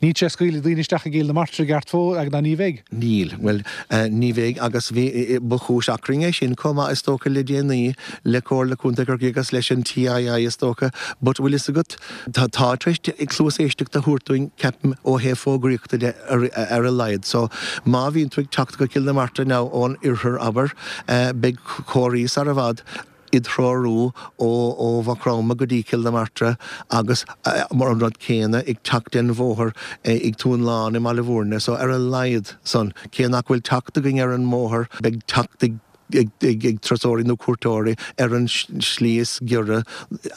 níl sé ag scaoileadh daoine isteach i gCill na Martra i gceart fós ná ní bheidh. Níl. Bhuel, ní bheidh agus bhí, ba chúis achrainn é sin chomh maith is dócha le déanaí le Comhairle Contae Chorcaí agus leis an TII is dócha but bhfuil fhios agat, Tá tar éis cluas éisteachta a thabhairt dúinn, ceapaim, ó thaobh fógraíochta de ar a laghad. So, má bhíonn tú ag teacht go Cill na Martra now ón oirthear, abair, beidh comharthaí sar i bhfad id threorú ó Mhaigh Chromtha go dtí Cill na Martra agus mar an rud céanna ag teacht den bhóthar ag Tóin Lán i mBaile Bhúirne. So, ar a laghad san, cé nach bhfuil teacht againn ar an mbóthar, beidh teacht ag. ag turasóirí nó cuairteoirí ar an slí is giorra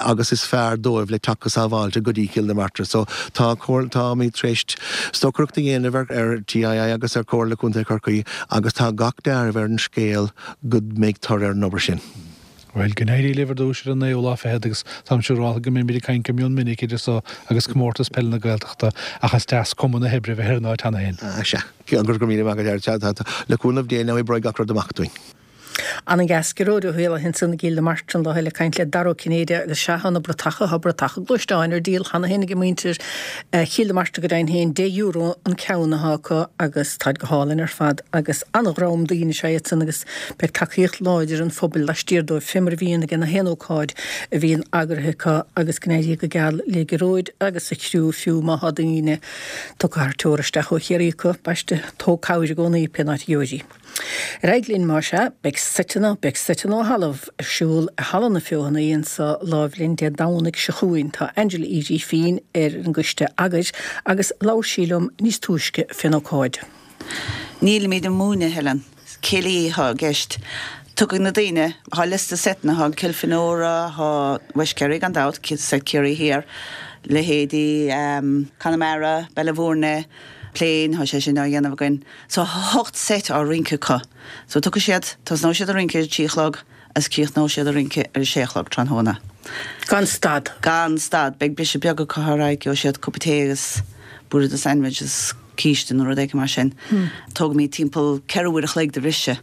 agus is fearr dóibh le teacht go sábháilte go dtí Cill na Martra. So tá táimid tar éis stocaireacht a dhéanamh ar ar TII agus ar Chomhairle Contae Chorcaí agus tá gach deáramh ar an scéal go mbeidh toradh ar an obair sin. Bhuel, go n-éirí libh ar dtús ar an naoú lá fichead agus táim siúráltha go mbeimid ag caint go mion minic idir so agus Comórtas Peile na Gaeltachta ach is deas cuma na hoibre a bheith ar an áit cheana féin. Sea. Go raibh míle maith agat. Le cúnamh Dé now oibreoidh gach rud amach dúinn. Ana-dheas Gearóid Ó hÉallaithe ansan i gCill na Martra an lá eile ag caint le Dara Ó Cinnéide agus sea tá na bratacha, tá bratacha gluaisteáin ar díol cheana féin ag muintir Chill na Martra go deimhin féin, deich euro an ceann atá acu agus táid go hálainn ar fad agus ana-dhream daoine is ea iad san agus beidh tacaíocht láidir an phobail laistiar dóibh fé mar a bhíonn ag na haon ócáid a bhíonn eagraithe acu agus go n-éirí go geal le Gearóid agus a chriú fiú má thá daoine Tugtha thar teora isteach ó Chiarraí acu, baiste, tóg cabhair i gcónaí pén áit a gheobhair í. Ar aghaidh linn, más ea, beidh seiteanna, beidh seiteanna ó thalamh ar siúl i Halla na Feothanaí anso láimh linn Dé Domhnaigh seo chugainn. Tá Angela Uí Ghrífín ar an gcoiste eagair agus labhair sí liom níos túisce fén ócáid. Nílimid ag múineadh, Helen. Céilí atá i gceist. Tiocfaidh na daoine, thá liosta seiteanna, thá Cill Fhionnúra, thá West Kerry gan dabht, seit Ciarraí Thiar, leithéidí Conamara, Baile Bhúirne, Plain, thá sé sin á dhéanamh againn. So thá hocht seit á rince acu. So tiocfaidh siad, tosnóidh siad ag rince ar a trí a chlog agus críochnóidh siad ag rince ar a sé a chlog tráthnóna. Gan stad. Gan stad. Beidh briseadh beag acu ar aghaidh, gheobhaidh siad cupa tae agus bualadh de sandwich agus. císte nó rud éigin mar sin. Tógaimid timpeall 4 uair a chloig de bhriseadh.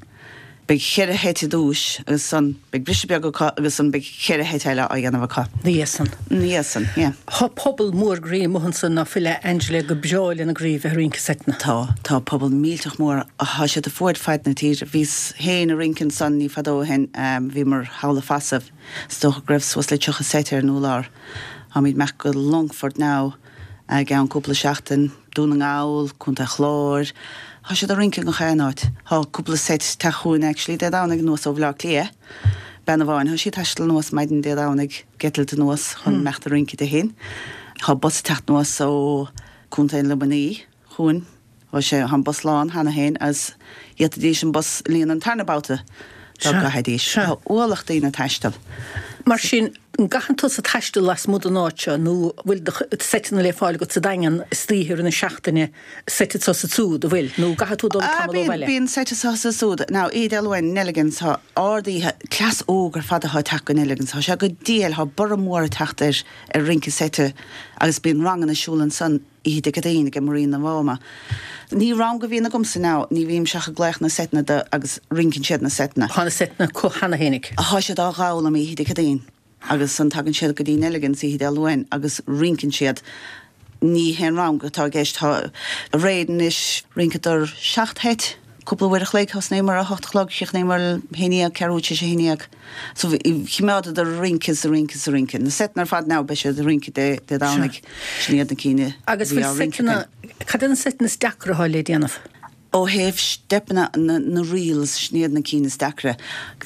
Beidh cheithre sheit i dtús agus ansan beidh briseadh beag acu agus ansan beidh cheithre sheit eile á dhéanamh acu. Ina dhiaidh san. Ina dhiaidh san, yeah. Tá pobal mór groí amuigh ansan ná fuil a Angela gur breá lena gcroí bheith ag rince seiteanna. Tá, tá pobal millteach mór, tá siad fuaid faid na tíre. Bhíos féin ag rince ansan ní fadó ó shin, bhíomar thall i Feasaibh, is dócha go raibh suas le 30 seit ar an úrlár. Táimid ag imeacht go Longfort now. I gceann cúpla seachtain, Dún na nGall, Contae Chláir, tá siad ag rince i ngach aon áit. Tá cúpla seit ag teacht chugainn actually Dé Domhnaigh anuas ó Bhaile Átha Cliath. Bean amháin, tá sí ag taisteal anuas maidin Dé Domhnaigh, ag eitilt anuas chun imeacht ag rince Dé hAoine. Tá bus ag teacht anuas ó Contae Luimnigh chugainn. Tá sé, tá an bus lán cheana féin agus d'fhéadfaidís an bus a líonadh an tarna babhta dá gcaithfidís. Tá ualach daoine ag taisteal. Mar sin, an gcaitheann tusa taisteal lasmuigh den áit seo nó an bhfuil do seiteanna le fáil agat sa Daingean istoíche i rith na seachtaine, seit anso is ansúd, an bhfuil? Nó an gcaithfidh tú dul tamall ó bhaile? Bíonn seit anso is ansúd. Now, Oíche Dé Luain, Nelligan's, tá ard-oíche, cleas óg ar fad atá ag teacht go Nelligan's. Tá sé go diail, tá borradh mór ag teacht ar ar rince seite agus bíonn ranganna ar siúl ansan. Oíche Dé Céadaoin ag Marina Mháma. Ní rang a bhíonn agamsa now, ní bhímse ach ag glaoch na seiteanna do agus rinceann siad na seiteanna. Tá na seiteanna acu cheana fhéinig. Tá siad á dh'fhoghlaim oíche Dé Céadaoin agus ansan tagann siad go dtí Nelligan's oíche Dé Luain agus rinceann siad. Ní haon rang atá i gceist, tá aréir anois rinceadar 7 sheit. Cúpla uair a chloig, thosnaíomar a hocht a chlog, chríochnaíomar a haon dhéag, ceathrú tar éis a haon dhéag. So choimeádadar ag rince is ag rince is ag rince. Na seiteanna ar fad now beidh siad ag rince Dé Dé Domhnaigh. Sin iad na cinn a Agus bhí á bhfuil rince seiteanna, againn. cad é na seiteanna is deacra atá le déanamh? Ó thaobh steipeanna, na na reels, sin iad na cinn is deacra.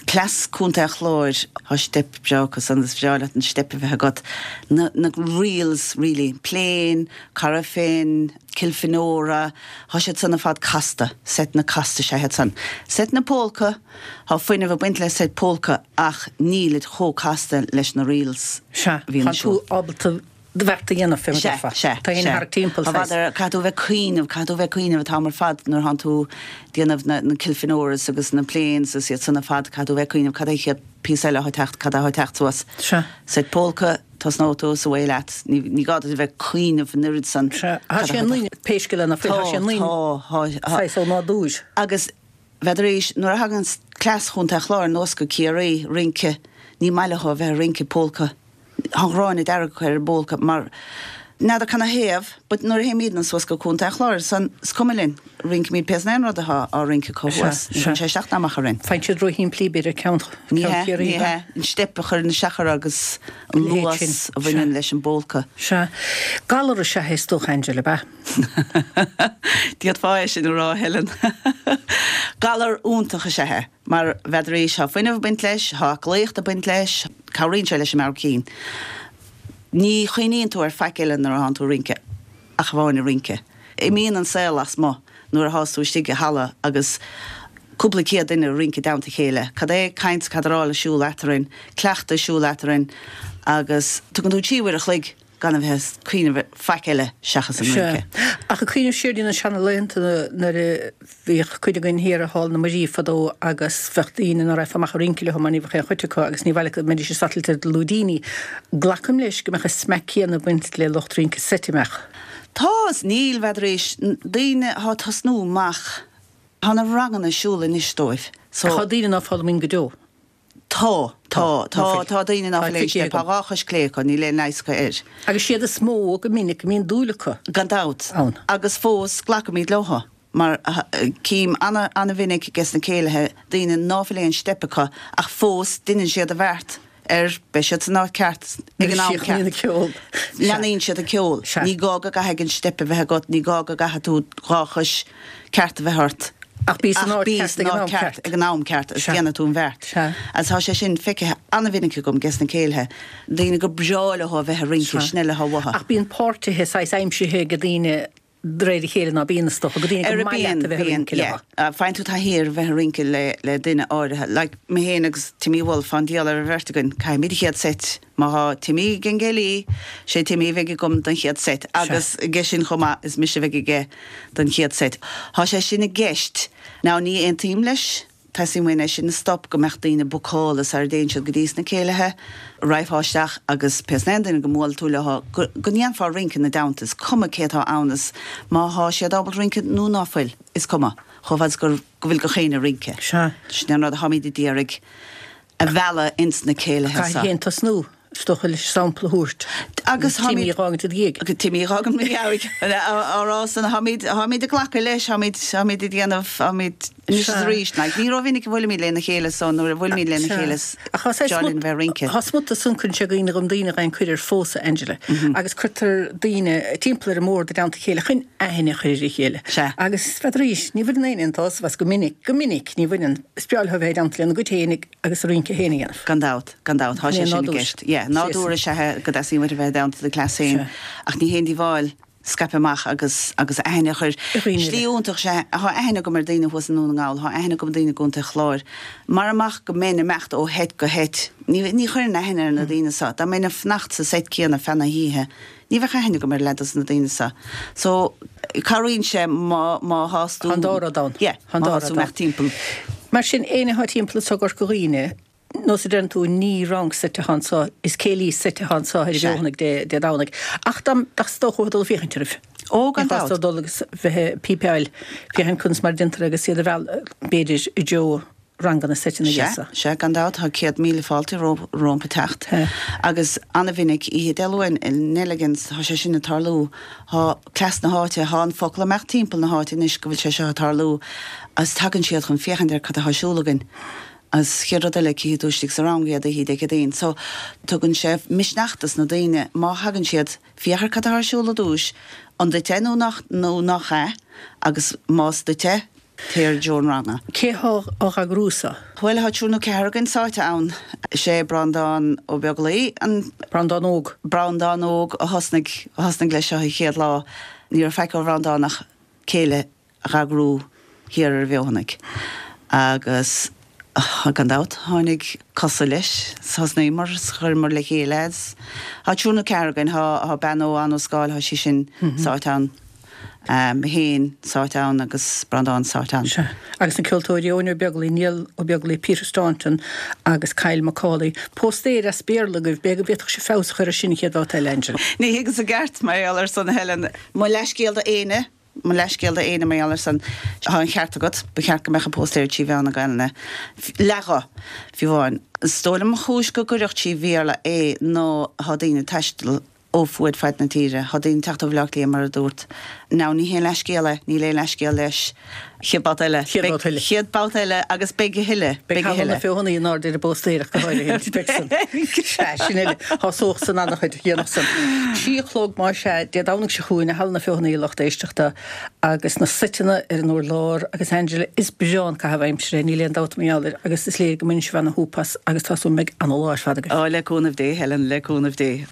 Cleas Contae an Chláir, tá steip breá acu san, is breá leat an steip a bheith agat. Na na reels really, Plain, Corofin, Kilfenora, Tá siad san ar fad casta, seiteanna casta is ea iad san. Seiteanna pólca, tá fuinneamh ag baint le seit pólca ach nílid chomh casta leis na reels Sea, a bhíonn tá ar siúl. tú ábalta do bheart a dhéanamh, fé mar Sea, déarfá. sea, Tá féin sea. thart timpeall, Tá saghas. bhfadar, caithfidh tú a bheith ag cuimhneamh, caithfidh tú a bheith ag cuimhneamh an t-am ar fad nuair thánn tú ag déanamh na, na Kilfenoras agus na Plains agus iad san ar fad, caithfidh tú a bheith ag cuimhneamh cad é an chéad píosa eile atá ag teacht, cad é atá ag teacht suas. Sea. Seit pólca, Tosnóidh tú is away leat. Ní gá duit a bheith ag cuimhneamh an oiread san. Sea, tá sé ionainn, pé scéal é ná fuil, tá sé ionainn saghas ó nádúr. Agus bheadar arís, nuair a thagann cleas Chontae an Chláir anuas go Ciarraí, rince, ní maith leo a bheith ag rince pólca. Tá an ghráin dearg acu ar an bpólca mar n'fheadar canathaobh, but nuair a théimidne suas go Contae an Chláir san, is cuma linn. Rincimid pé san aon rud atá á rince acu thuas. Ní chuireann sé isteach ná amach orainn. Faigheann siad róshimplí, b'fhéidir, ceann Ní hea, Chiarraí. ní hea. An steip a chuireann isteach orthu agus an luas a bhaineann leis an bpólca. Sea. Galar is ea é is dócha, Angela, ab ea? D'fhéadfá é sin a rá, Helen. Galar iontach is ea é, mar bheadar arís, tá fuinneamh ag baint leis, tá aclaíocht ag baint leis, cabhraíonn sé leis an meabhair cinn. Ní chuimhníonn tú ar faic eile nuair atánn tú ag rince. ach amháin ag rince. Imíonn an saol lasmuigh nuair athás tú istigh i halla agus cúpla céad duine ag rince i dteannta a chéile. Cad é caint cadráil ar siúl eatarthu, cleachtadh ar siúl eatarthu agus tugann tú 3 uair a chloig gan a bheith ag cuimhneamh ar faic eile seachas an Sea. rince. Ach ag cuimhneamh siar ar na seanalaethanta nuair a Bhíodh cuid againn thiar i Hall na Muirí fadó agus bheadh daoine ná raghfá amach ag rince leo mar ní bheadh aon chuid acu agus ní bhfail go mbeidís ag satailt ar na lúidíní. Glacaim leis go mbeadh an smeach céanna ag baint le lucht rince seit, an mbeadh? Tá is níl, bheadar arís, daoine athá ag tosnú amach, tá na ranganna ar siúl anois dóibh so. Tá daoine ná foghlaimíonn go deo. Tá, tá, tá, tá daoine ná Tá fuil aon feicthe steip, tá agam. dhá chois clé acu, níl aon leigheas acu air. Agus siad is mó go minic a mbíonn dúil acu. Gan dabht. Ann. Agus fós glacaimid leo, mar cím ana, ana-mhinic ages na céilithe daoine ná fuil aon steip acu ach fós deineann siad a bheart ar, beidh siad san áit ceart ag an am Leanaíonn ceart. an ceol. Leanaíonn siad an ceol. Sea. Ní gá go gcaithfidh an steip a bheith agat, ní gá go gcaithfidh tú dhá chois ceart a bheith ort. Ach bí san Ach áit bí ceart san ag an áit am ceart ceart. ag an am ceart agus Sea. déanfaidh tú an bheart. Sea. Agus tá sé sin feicthe an-mhinic agam ges na céilithe, daoine gur breá leo a bheith ag rince, Sea. sin uile atá uathu. Ach bíonn páirtithe saghas aimsithe ag daoine de réir a chéile ná bíonn, is dócha, go daoine Ar gur maith bíonn, leat a bheith ag bíonn, rince leo. yeah. Faigheann tú taithí ar bheith ag rince le, le duine áirithe. Like, mé féin agus Timmy Wolfe, tá an diabhal ar an bheirt againn, caithfimid an chéad seit. Má thá Timmy ag an gcéilí, sé Timmy a bheidh agam don chéad seit agus aige sin chomh maith, is mise a bheidh aige don chéad seit. Thá sé sin i gceist. Now ní aontaím leis. Teastaíonn uainn é sin a stop, go mbeadh daoine bookáilte sara dtéann siad go dtí sna céilithe, raghfá isteach agus pé aon duine go mbuailfidh tú leo, go ndéanfá rince ina dteannta, is cuma cé atá ann is má thá siad ábalta rince nó ná fuil, is cuma, chomh fada is gur, go bhfuil gach éinne ag rince. Sea. Sin an rud atáimid ag iarraidh a mhealladh ins na céilithe seo. Caithfidh féin tosnú. Is dócha leis sampla a thabhairt. Agus táimid. Timmy a dh'fhágaint i do dhiaidh. Timmy a dh'fhágaint i mo dhiaidh. Á rá san, táimid, táimid ag glacadh leis, táimid, táimid ag déanamh, táimid anois is arís. Like, ní rómhinic a bhuailimid lena chéile so nuair a bhuailimid lena chéile is deá linn bheith ag rince. Tá smut ansan cuireann sé i gcuimhne dhom daoine a fhaigheann cuireadh ar phósadh, Angela. Agus cuirtear daoine timpeall ar an mbord i dteannta a chéile chun aithne a chur ar a chéile. Sea. Agus n'fheadaraís, ní bhaineann éinne an tsásamh as go minic, go minic ní bhaineann. Is breá leo a bheith i dteannta lena gcuid féinig agus a rince féin a dhéanamh. Gan dabht, gan dabht, tá sé sin i gceist. Yeah, nádúr is ea é go dteastaíonn uait a bheith i dteannta do chleas féin, ach ní haon díobháil scaipeadh amach agus agus aithne a chur. Slí iontach is ea, tá aithne agam ar daoine thuas i nDún na nGall, tá aithne agam ar daoine i gContae Chláir. Mara mbeadh go mbeinn ag imeacht ó sheit go sheit, ní ní chuirfinn aithne ar na daoine seo. Dá mbeinn ag fanacht sa seit céanna feadh na hoíche, Ní bheadh aithne agam ar leath dos na daoine seo. So, cabhraíonn sé má, má thás tú. Tá an dá rud ann. Yeah, Tá an má dá thás rud tú ann. imeacht timpeall. Mar sin, éinne atá timpeall anso i gCorca Dhuibhne, nós a deireann tú, ní rang seit atá anso, is céilí seit atá anso ar an Sea. bhFeothanaigh Dé, Dé Domhnaigh. Ach dá, dá dócha dul ag féachaint oraibh. Ó, gan Ní chás dabht. dó dul agus bheith ag pípeáil, féachaint conas mar a déantar agus iad a mhealladh, b'fhéidir, i dtreo ranganna seiteanna Sea, gheasa. sea, gan dabht, tá 100,000 fáilte rompu teacht. Agus ana-mhinic, oíche Dé Luain i Nelligan's, tá sé sin ag tarlú, tá cleas na háite, tá an focal ag imeacht timpeall na háite anois go bhfuil sé seo ag tarlú agus tagann siad chun féachaint ar cad atá ar siúl againn. Agus chéad rud eile, cífidh tú istigh sa rang iad oíche Dé Céadaoin. So, tugann sé misneach dos na daoine má thagann siad, féach ar cad atá ar siúl i dtús, an duit é nó nach, nó nach ea, agus más duit é, Téir i dtreo an ranga. Cé thá á eagrú so? Bhuel, thá triúr nó ceathrar againn sáite ann. Is é Breandán Ó Beaglaoi an. Breandán Óg. Breandán Óg a thosnaigh, a thosnaigh leis seo an chéad lá. Ní raibh faic ó Bhreandán ach céilí a dh'eagrú thiar ar an bhFeothanaigh. Agus gan dabht, tháinig cosa leis. Thosnaíomar is chuireamar le chéile é. Thá triúr nó ceathrar againn. Thá, thá bean ó Ann Ó Scáil, thá sí sin sáite ann. Mé féin sáite ann agus Breandán sáite ann. Sea. Agus na ceoltóirí, Eoin Ó Beaglaoi, Niall Ó Beaglaoi, Peter Staunton agus Kyle Macaulay. Póstaer as Béarla agaibh, b'fhéidir go bhféadfadh sibh feabhas a chur ar sin an chéad bhabhta eile, Angela. Ní thuigeas i gceart mar gheall ar san, a Helen. Mo leathscéal do éinne, mo leathscéal do éinne mar gheall ar san. Tá an cheart agat, ba cheart go mbeadh an póstaer trí mheán na Gaelainne. Leath-ghuth, fiú amháin. Is dóigh liom an chúis go gcuirfeadh trí Bhéarla é ná tá daoine ag taisteal ó fuaid faid na tíre. Tá daoine ag teacht ó Bhaile Átha Cliath, mar a dúrt. Now, ní haon leathscéal é, níl aon leathscéal leis. Chéad babhta eile. Chéad babhta eile. Chéad babhta eile agus beidh a thuilleadh. Beidh Halla na Feothanaí in airde ar an bpóstaer ach go háirithe. Beidh san. Sea, sin uile. Tá sórt san an-chuid dhéanach san. 3 a chlog más ea, Dé Domhnaigh seo chugainn i Halla na Feothanaí a lucht éisteachta agus na seiteanna ar an urlár agus Angela, is breá an caitheamh aimsire é, níl aon dabht mar gheall air agus is léir go mbaineann sibh ana-shúp as agus tá súil agam go mbeidh ana-lá ar fad agaibh. Ó, le cúnamh Dé, Helen, le cúnamh Dé.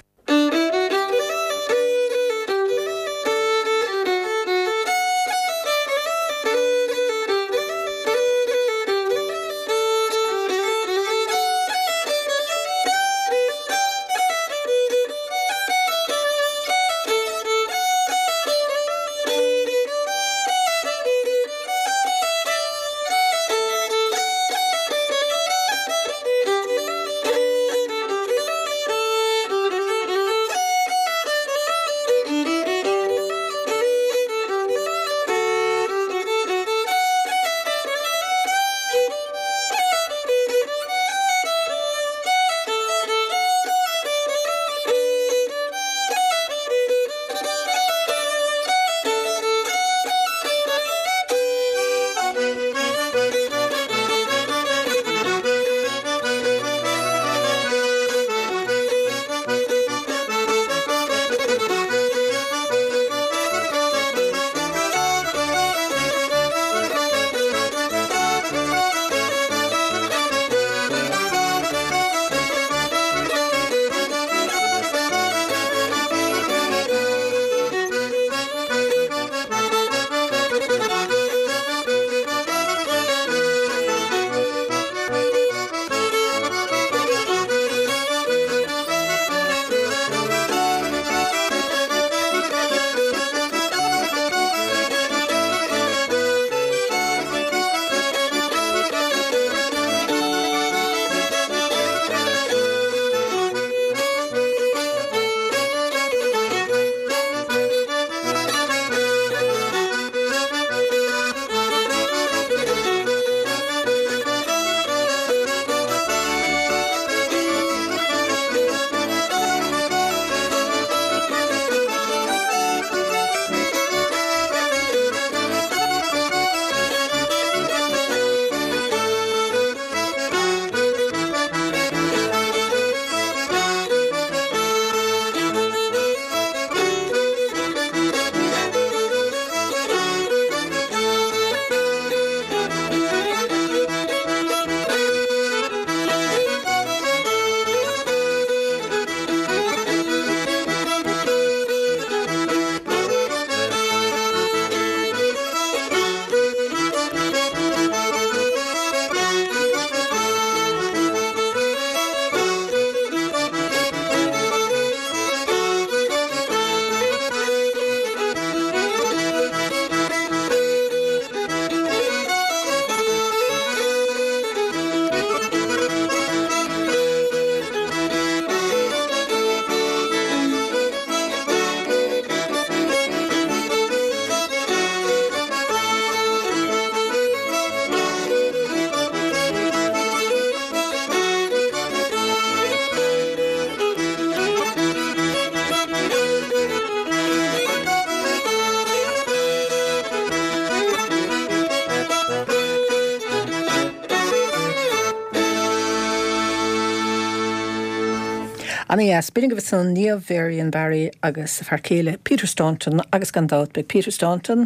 Ana dheas. B'in agaibh ansan Niamh Varian Barry agus a fear céile Peter Staunton agus gan dabht beidh Peter Staunton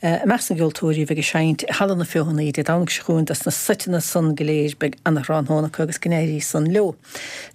i measc na gceoltóirí a bheidh ag seinnt i Halla na Feothanaí Dé Domhnaigh seo chugainn dos na seiteanna san go léir. Beidh ana thráthnóna acu agus go n-éirí san leo.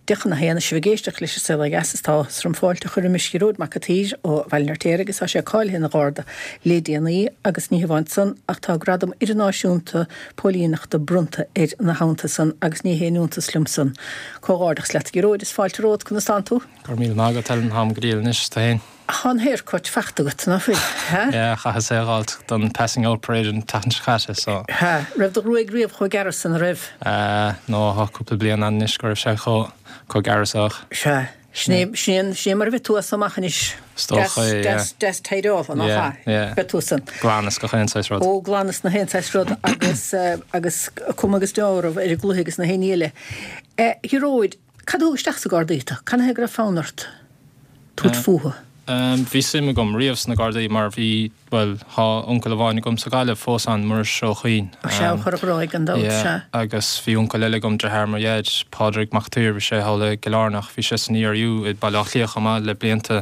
10 chun a haon, Is sibh ag éisteacht leis an Saol Ó Dheas is tá áthas orm fáilte a chur roimis Ghearóid Mac a' tSaoir ó Bhaile an Fheirtéaraigh agus tá sé cáilithe ina Gharda le déanaí agus ní hamháin san ach tá gradam idirnáisiúnta póilíneachta bronnta air ina theannta san agus ní haon iontas liom san. Comhghairdeachas leat a Ghearóid, is fáilte romhat, conas tánn tú? Go raibh míle maith agat Helen, táim go diail anois, tú fhéin? Tá an haircut faighte agat, ná fuil? Ha? Yeah, chaitheas é a dh'fháilt don passing out parade an tseachtain seo caite, so. Ha, raibh do ghruaig riamh chomh gearr san, an raibh? Eh, no, tá cúpla bliain ann anois go raibh sé chomh, chomh gearr so ach. Sea. Sin é, sin é, sin é mar a bheidh tú as so amach anois. Is dócha é, yeah. Deas, deas tidyáilte, nach ea? Yeah, yeah. Beidh tú san. Glan is gach aon saghas rud. Ó, glan is na haon saghas rud agus, agus cuma agus deáramh ar an gcluiche agus na haon ní eile. A Ghearóid, cad a thug isteach sa Gardaí tú? Cad chuige go raibh fonn ort tabhairt fúthu? Bhí suim agam riamh sna Gardaí mar bhí, bhuel, thá uncail amháin agam sa Ghaillimh fós ann, Muiris Ó Cuinn. Ó sea, ó Chora Ghráig gan dabht, Yeah, sea. agus bhí uncail eile agam, deartháir mo dhaid, Pádraig Mac Tuír, bhí sé thall i gCill Airneach, bhí sé san ERU i Baile Átha Cliath chomh maith le blianta.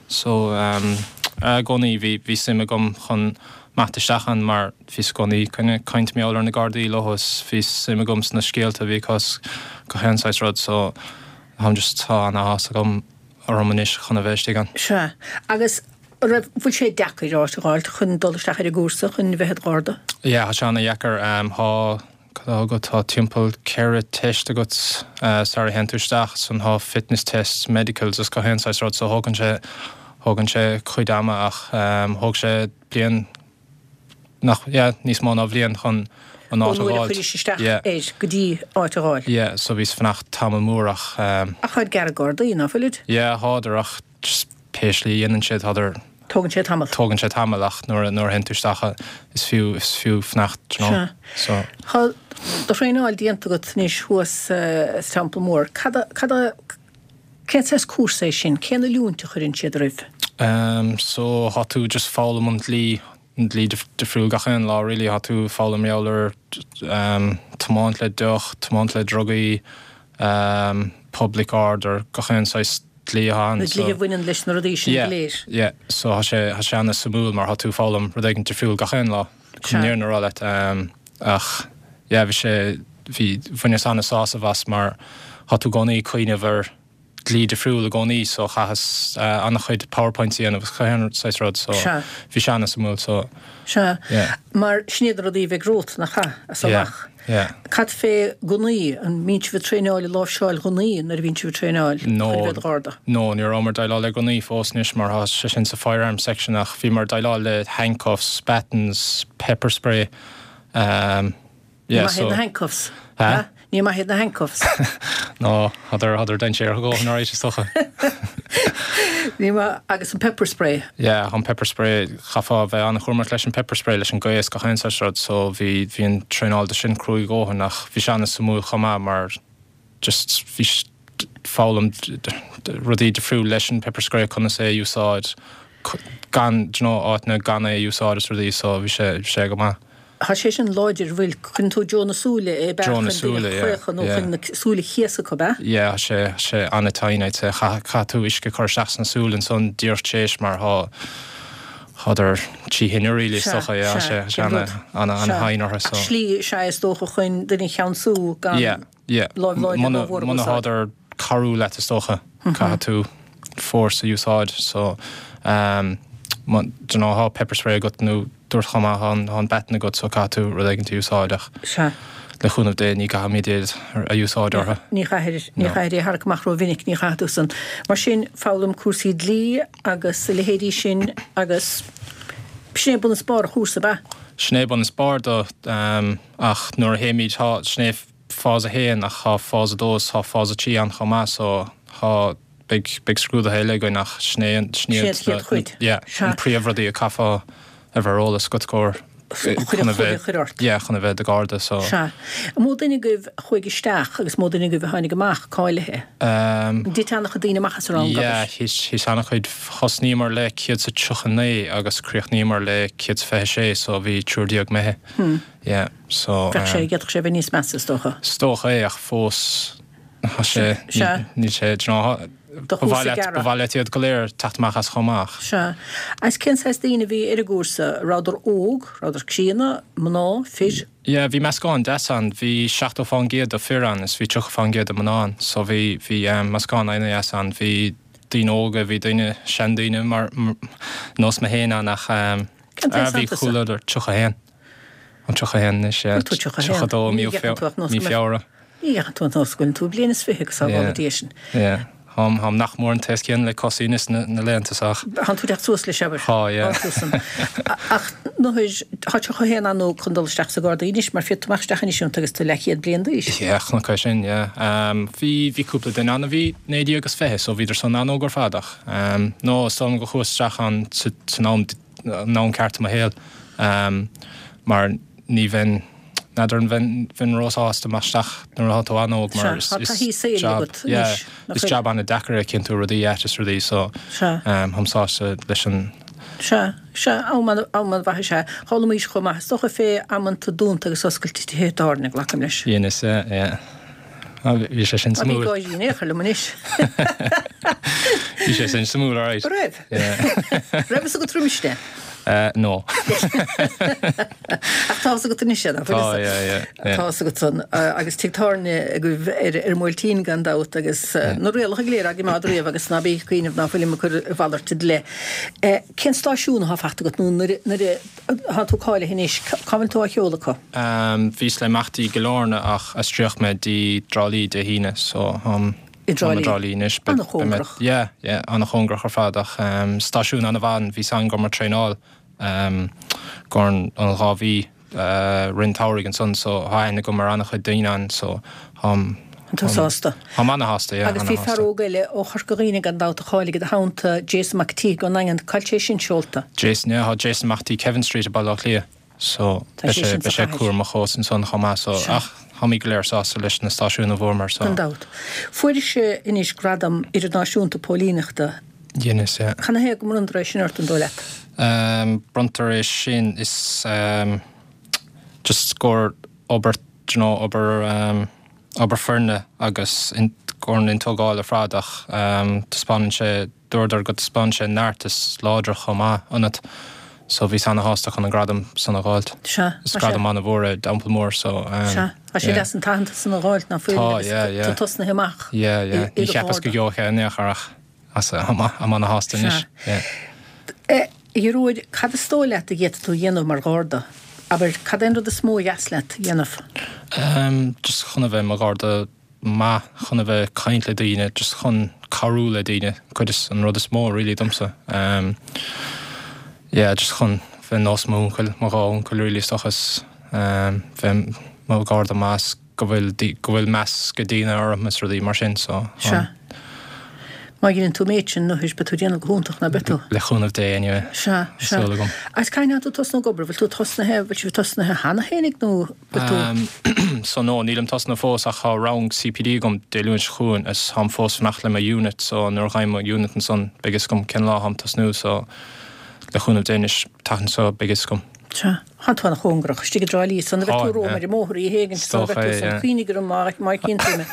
So, i gcónaí bhí, bhí suim agam chun imeacht isteach ann mar bhíos i gcónaí ag caint mar gheall ar na Gardaí leo is bhí suim agam sna scéalta a bhí acu is gach aon saghas rud so, táim just, tá an-áthas agam. orm anois chun a bheith istigh ann. Sea. Agus an raibh, bhfuil sé deacair áit a dh'fháilt chun dul isteach ar an gcúrsa chun bheith id Gharda? Yeah, tá sé ana-dheacair. Tá, cad atá agat, tá timpeall 4 teist agat sara théann tú isteach, san tá fitness tests, medicals is gach aon saghas rud so thógann sé, thógann sé cuid ama ach thóg sé bliain, nach, yeah, níos mó ná bhliain chun an áit a Ón uair a dh'fháilt. chuiris isteach Yeah. air go dtí áit a dh'fháil. Yeah, so bhíos fanacht tamall mór ach ehm. Ach táid gearr Gardaí, ná fuilid? Yeah, thádar ach just pé slí a dhéanann siad, thádar. Tógann sé tamall. Tógann sé tamall ach nuair a, nuair a théann tú isteach is fiú, is fiú fanacht, do you know. Sea. So. Tá do thraenáil déanta agat anois thuas sa Teampall Mór. Cad a, cad a, Cén saghas cúrsa é sin? Cén oiliúint a chuireann siad oraibh? Ehm so thá tú just foghlaim an dlí, an dlí difriúil gach aon lá really, thá tú foghlaim mar gheall ar ehm tiomáint le deoch, tiomáint le drugaí, ehm public order, gach aon saghas dlí atá ann Na so. dlíthe a bhaineann leis na rudaí sin go Yeah, léir. yeah, so thá sé, thá sé ana-suimiúil mar thá tú foghlaim rud éigin difriúil gach aon lá, chun Sea. an fhírinne a rá leat, ehm ach yeah bhí sé, bhí, bhaineas ana-sásamh as mar thá tú i gcónaí ag cuimhneamh ar dlí difriúil i gcónaí so chaitheas an-chuid powerpoints a dhéanamh agus gach aon saghas rud so Sea. bhí sé ana-suimiúil so Sea. yeah. Mar sin iad na rudaí a bheidh romhat, nach ea, as Yeah, amach. yeah. Cad fé gunnaí, an mbíonn sibh ag traenáil i láimhseáil ghunnaí nuair a bhíonn sibh ag traenáil chun No, a bheith i do Gharda? no, ní rabhamar ag déileáil le gunnaí fós anois mar thá sé sin sa firearms section ach bhíomar ag déileáil le handcuffs, batons, pepper spray, um, Ní Yeah, maith iad so. na handcuffs. Ha? Ní maith iad na handcuffs. No, thádar, thádar dainséarach a dhóthain alright is dócha. Ní maith, agus an pepper spray. Yeah, an pepper spray, chaithfeá a bheith an-chúramach leis an pepper spray, leis an gaoth is gach aon saghas rud, so bhí, bhí an traenáil do sin cruaidh a dhóthain ach bhí sé an-suimiúil chomh maith mar just bhí foghlaim rudaí difriúil leis an pepper spray, conas é a úsáid, gan, do you know, áiteanna gan é a úsáid is rudaí, so bhí sé, bhí sé go maith. Tá sé sin láidir, bhfuil, cuireann tú i dtreo na súile é, ab ea, Dtreo na chun duine súile, a yeah, chraochadh nó yeah. chun na súile a chéasadh ab ea? Yeah, tá sé, tá sé an-tinn, I'd say. Chaith, caithfidh tú uisce a chur isteach sna súile ansan díreach tar éis mar thá, thádar trí thine really is Sea, dócha, yeah, tá sea, sé, tá sé cén ana, rud? ana, Sea. ana-thinn orthu, so. Ach slí is ea is dócha chun duine a cheansú gan Yeah, yeah. láimh láidir Muna, rómhór a muna úsáid. thádar cabhrú leat is dócha, caithfidh tú force a úsáid, so, um, do you know, thá pepper spray agat nó dúirt chomh maith, thá an baton agat so caithfidh tú rud éigin a úsáid ach Sea. le cúnamh Dé ní gcaithfimid iad a úsáid orthu. Ní chaithfear, ní No. chaithfear é a tharrac amach rómhinic, ní chaithfidh tú san. Mar sin, foghlaim cúrsaí dlí agus a leithéidí sin agus sin é bun is barr an chúrsa, ab ea? Sin é bun is barr do, ach nuair a théimid, tá, sin é phase 1 ach tá phase 2 is tá phase 3 ann chomh maith so tá, beidh, beidh scrúduithe eile againn ach sin é an, sin Sin iad an chéad na, chuid. yeah, Sea. an príomhrudaí a chaithfeá a bheith ar eolas agat gur, Chun chun an a chluiche bheith, a chur ort. yeah, chun a bheith i do Gharda so. Sea. An mó duine agaibh a chuaigh isteach agus mó duine agaibh a tháinig amach cáilithe? Um. An dtit an-chuid daoine amach as an rang, Yeah, abair? thit, thit an-chuid, thosnaíomar le 139 agus chríochnaíomar le 126 so bhí triúr déag imithe. Hmm. Yeah, so. Bheadh sé, d'fhéadfadh sé a bheith níos measa, is dócha. Is dócha é, ach fós, tá sé, Sea. níl sé, do you know, Do ba thús mhaith a leat, ba gearradh. mhaith leat iad go léir teacht amach as chomh maith. Sea. Agus cén saghas daoine a bhí ar an gcúrsa? Rabhadar óg, rabhadar críonna, mná, fir? Yeah, bhí meascán deas ann. Bhí 70% de fir ann is bhí 30% de mná ann. So bhí, bhí meascán an-deas ann. Bhí daoine óga, bhí daoine, seandaoine mar, nós mé féin ann ach Cén t-aos bhí atá tusa? chuile 31. An 31 anois, yeah. Bhfuil tú 31? 32 Ní gheacann tú ach nós mí go mbeadh. Feabhra. Ní gheacann tú an nós go bhfuil tú bliain is fiche go sábhála Dia sinn. Yeah. Táim, táim nach mór an t-aos céanna le Cosaí anois na, na laethanta seo ach. Tánn tú ag teacht suas leis, abair. Tá, yeah. Tá tú san. Ach nuair, tá 31 an-óg chun dul isteach sa Gharda anois, mar féadfaidh tú imeacht isteach anois iontu agus tú leathchéad bliain d'aois. Yeah, chonac é sin, yeah. Bhí, bhí cúpla duine ann a bhí 19 agus 20 so bhíodar san an-óg ar fad ach, no, is dóigh liom go chuas isteach ann sa, san am, an am ceart i mo shaol, mar ní bheinn, N'fheadar an bheinn, bheinn róshásta imeacht isteach nuair atá tú an-óg mar Sea, is, tá taithí is saoil jab, agat yeah, anois, nach is bhfuil? jab an-deacair é cinntiú rudaí ait is rudaí so Sea. táim sásta leis an. Sea, sea, am an, am an-mhaith is ea. D'fhoghlaimís chomh maith, is dócha fé amanta dúnta agus oscailte tithe tábhairne, glacaim leis. Dheineas, yeah, yeah. Ah, bhí sé sin Ná bí suimiúil. gáirí in aon chor liom anois. Bhí sé sin suimiúil, alright. Raibh? Yeah. Raibh fhios agat roimis é? No. Ach tá fhios agat anois é, nach bhfuil Tá, fhios yeah, yeah, yeah. Tá fhios agat san. Agus tigh tábhairne agaibh ar ar an mBuailtín gan dabht agus na rialacha go léir á gcoimeád riamh agus ná bí ag cuimhneamh ná fuilim ag cur a mhalairt i do leith. Cén stáisiún athá fachta agat nó nuair nuair atá tú cáilithe anois, cá bhfuil tú á sheoladh acu? Bhíos le imeacht dtí Cill Airne ach aistríodh mé dtí Trá Lí Dé hAoine so táim I dTrá i Lí. dTrá Lí anois. An-chóngarach. Yeah, yeah, an-chóngarach ar fad ach stáisiún an-mhaith, bhí san go raibh mé ag traenáil go an 2 mhí rith an tsamhraidh ansan so tá aithne agam ar an-chuid daoine ann so táim Tá tú sásta. Táim an-shásta, yeah, Agus bhí fear an-shásta. óg eile ó Chorca Dhuibhne gan dabht a cháiligh i do theannta, Jason Mac an tSíthigh ón nDaingean, cá bhfuil sé sin seolta? Jason, yeah, tá Jason amach dtí Kevin Street i Baile Átha Cliath. So, Tá beidh sé sé, sin sa beidh sé chathair. cúramach fós ansan chomh maith, so, Sea. ach táimid go léir sásta leis na stáisiúin a bhfuaireamar, so. Gan dabht. Fuairis anois gradam idirnáisiúnta póilíneachta. Dheineas, yeah. Canathaobh go mbronntar é sin ort, an dóigh leat? Ehm, bronntar é sin, is, ehm, just gur obair, do you know, obair, ehm, obair foirne agus in, gur an tógáil ar fad ach, ehm, taispeánann sé, Dúradar go dtaispeánann sé neart is láidreacht chomh maith ionat so bhíos ana-shásta chun an gradam san a dh'fháilt. Sea, Is tá sé. gradam ana-mhór é, d'Teampall Mór so ehm Sea, tá sé yeah. deas an t-aitheantas san a dh'fháilt ná fuil Tá, agus yeah, yeah. tú tosnaithe amach Yeah, yeah. i Ní do cheapas go gharda. gheobhadh é in aon chor ach as táim ana-shásta anois. Sea. Yeah. Eh, a Ghearóid, cad is dóigh leat a d'fhéadfadh tú a dhéanamh mar gharda? Abair, cad é an rud is mó a dheas leat a dhéanamh? Ehm, just chun a bheith i mo gharda maith chun a bheith ag caint le daoine, just chun cabhrú le daoine, cuid is an rud is mó really domsa. Um yeah, just chun bheith nós m'uncail, mo dhá uncail really is dócha is um bheith mo gharda maith is go bhfuil go bhfuil meas ag daoine orm is rudaí mar sin so Sea. Má dheineann tú an méid sin, anois, beidh tú ag déanamh go hiontach, ná beidh tú? Le cúnamh Dé anyway. Sea, Tá sea. súil agam. Agus cathain atá tú tosnú ag obair? Bhfuil tú tosnaithe, bhfuil sibh tosnaithe cheana féinig nó bhfuil tú? Um so no, nílim tosnaithe fós ach tá rang CPD agam Dé Luain seo chugainn is táim fós fanacht le mo unit so nuair a fhaighim mo unit ansan beidh fhios agam cén lá táim tosnú so le cúnamh Dé anois tseachtain seo beidh fhios agam. Sea. Tá tú an-chóngarach, istigh i dTrá Lí, san a bheith tú romham ar an mbóthar oíche éigin, Is san a dócha bheith tú é, san yeah. cuimhnigh orm má má chíonn tú mé.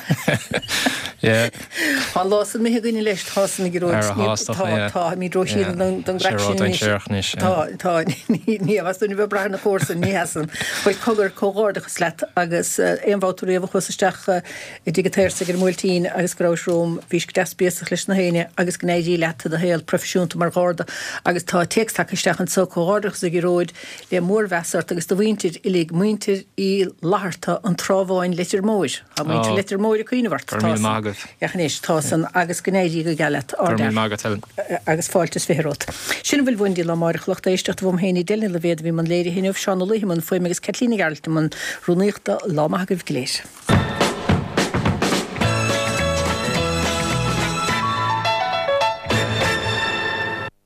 Yeah. Tá an lá san imithe againn leis, tá san ag Gearóid, Ar a ní, shásta, tá, yeah. tá, táimid róshean Yeah. don, don Sé gcraic sin anois. ródainséarach anois, yeah. Tá, tá, ní, ní bheas duine ag brath ar na comharsain, ní hea san. Bhuel, cogar, comhghairdeachas leat agus eh, aon bhabhta riamh a chuas isteach eh, i dTigh an tSaorsaigh ar an mBuailtín agus go rabhais romham, bhís go deas béasach leis na héinne agus go n-éirí leat i do shaol proifisiúnta mar Gharda agus tá téacs tagtha isteach anso, comhghairdeachas a Ghearóid, le mórmheas ort agus do mhuintir uilig, muintir Uí Fhlatharta, an Trá Bháin, Leitir Móir. Tá muintir Ó, Leitir Móir ag cuimhneamh ort. go raibh Tá míle san. maith agat. Ach anois, tá san agus go n-éirí go geal leat, Go raibh míle ardfhear. maith agat, Helen. Agus fáilte is fiche romhat. Sin a bhfuil uainn go dtí lá amárach, lucht éisteachta uaim féin Edel Ní Loibhéad a bhí i mbun léirithe inniu, Seán Ó Laoithe i mbun fuaime agus Caitlín Nic Gearailt i mbun rúnaíochta. Lá maith agaibh go léir.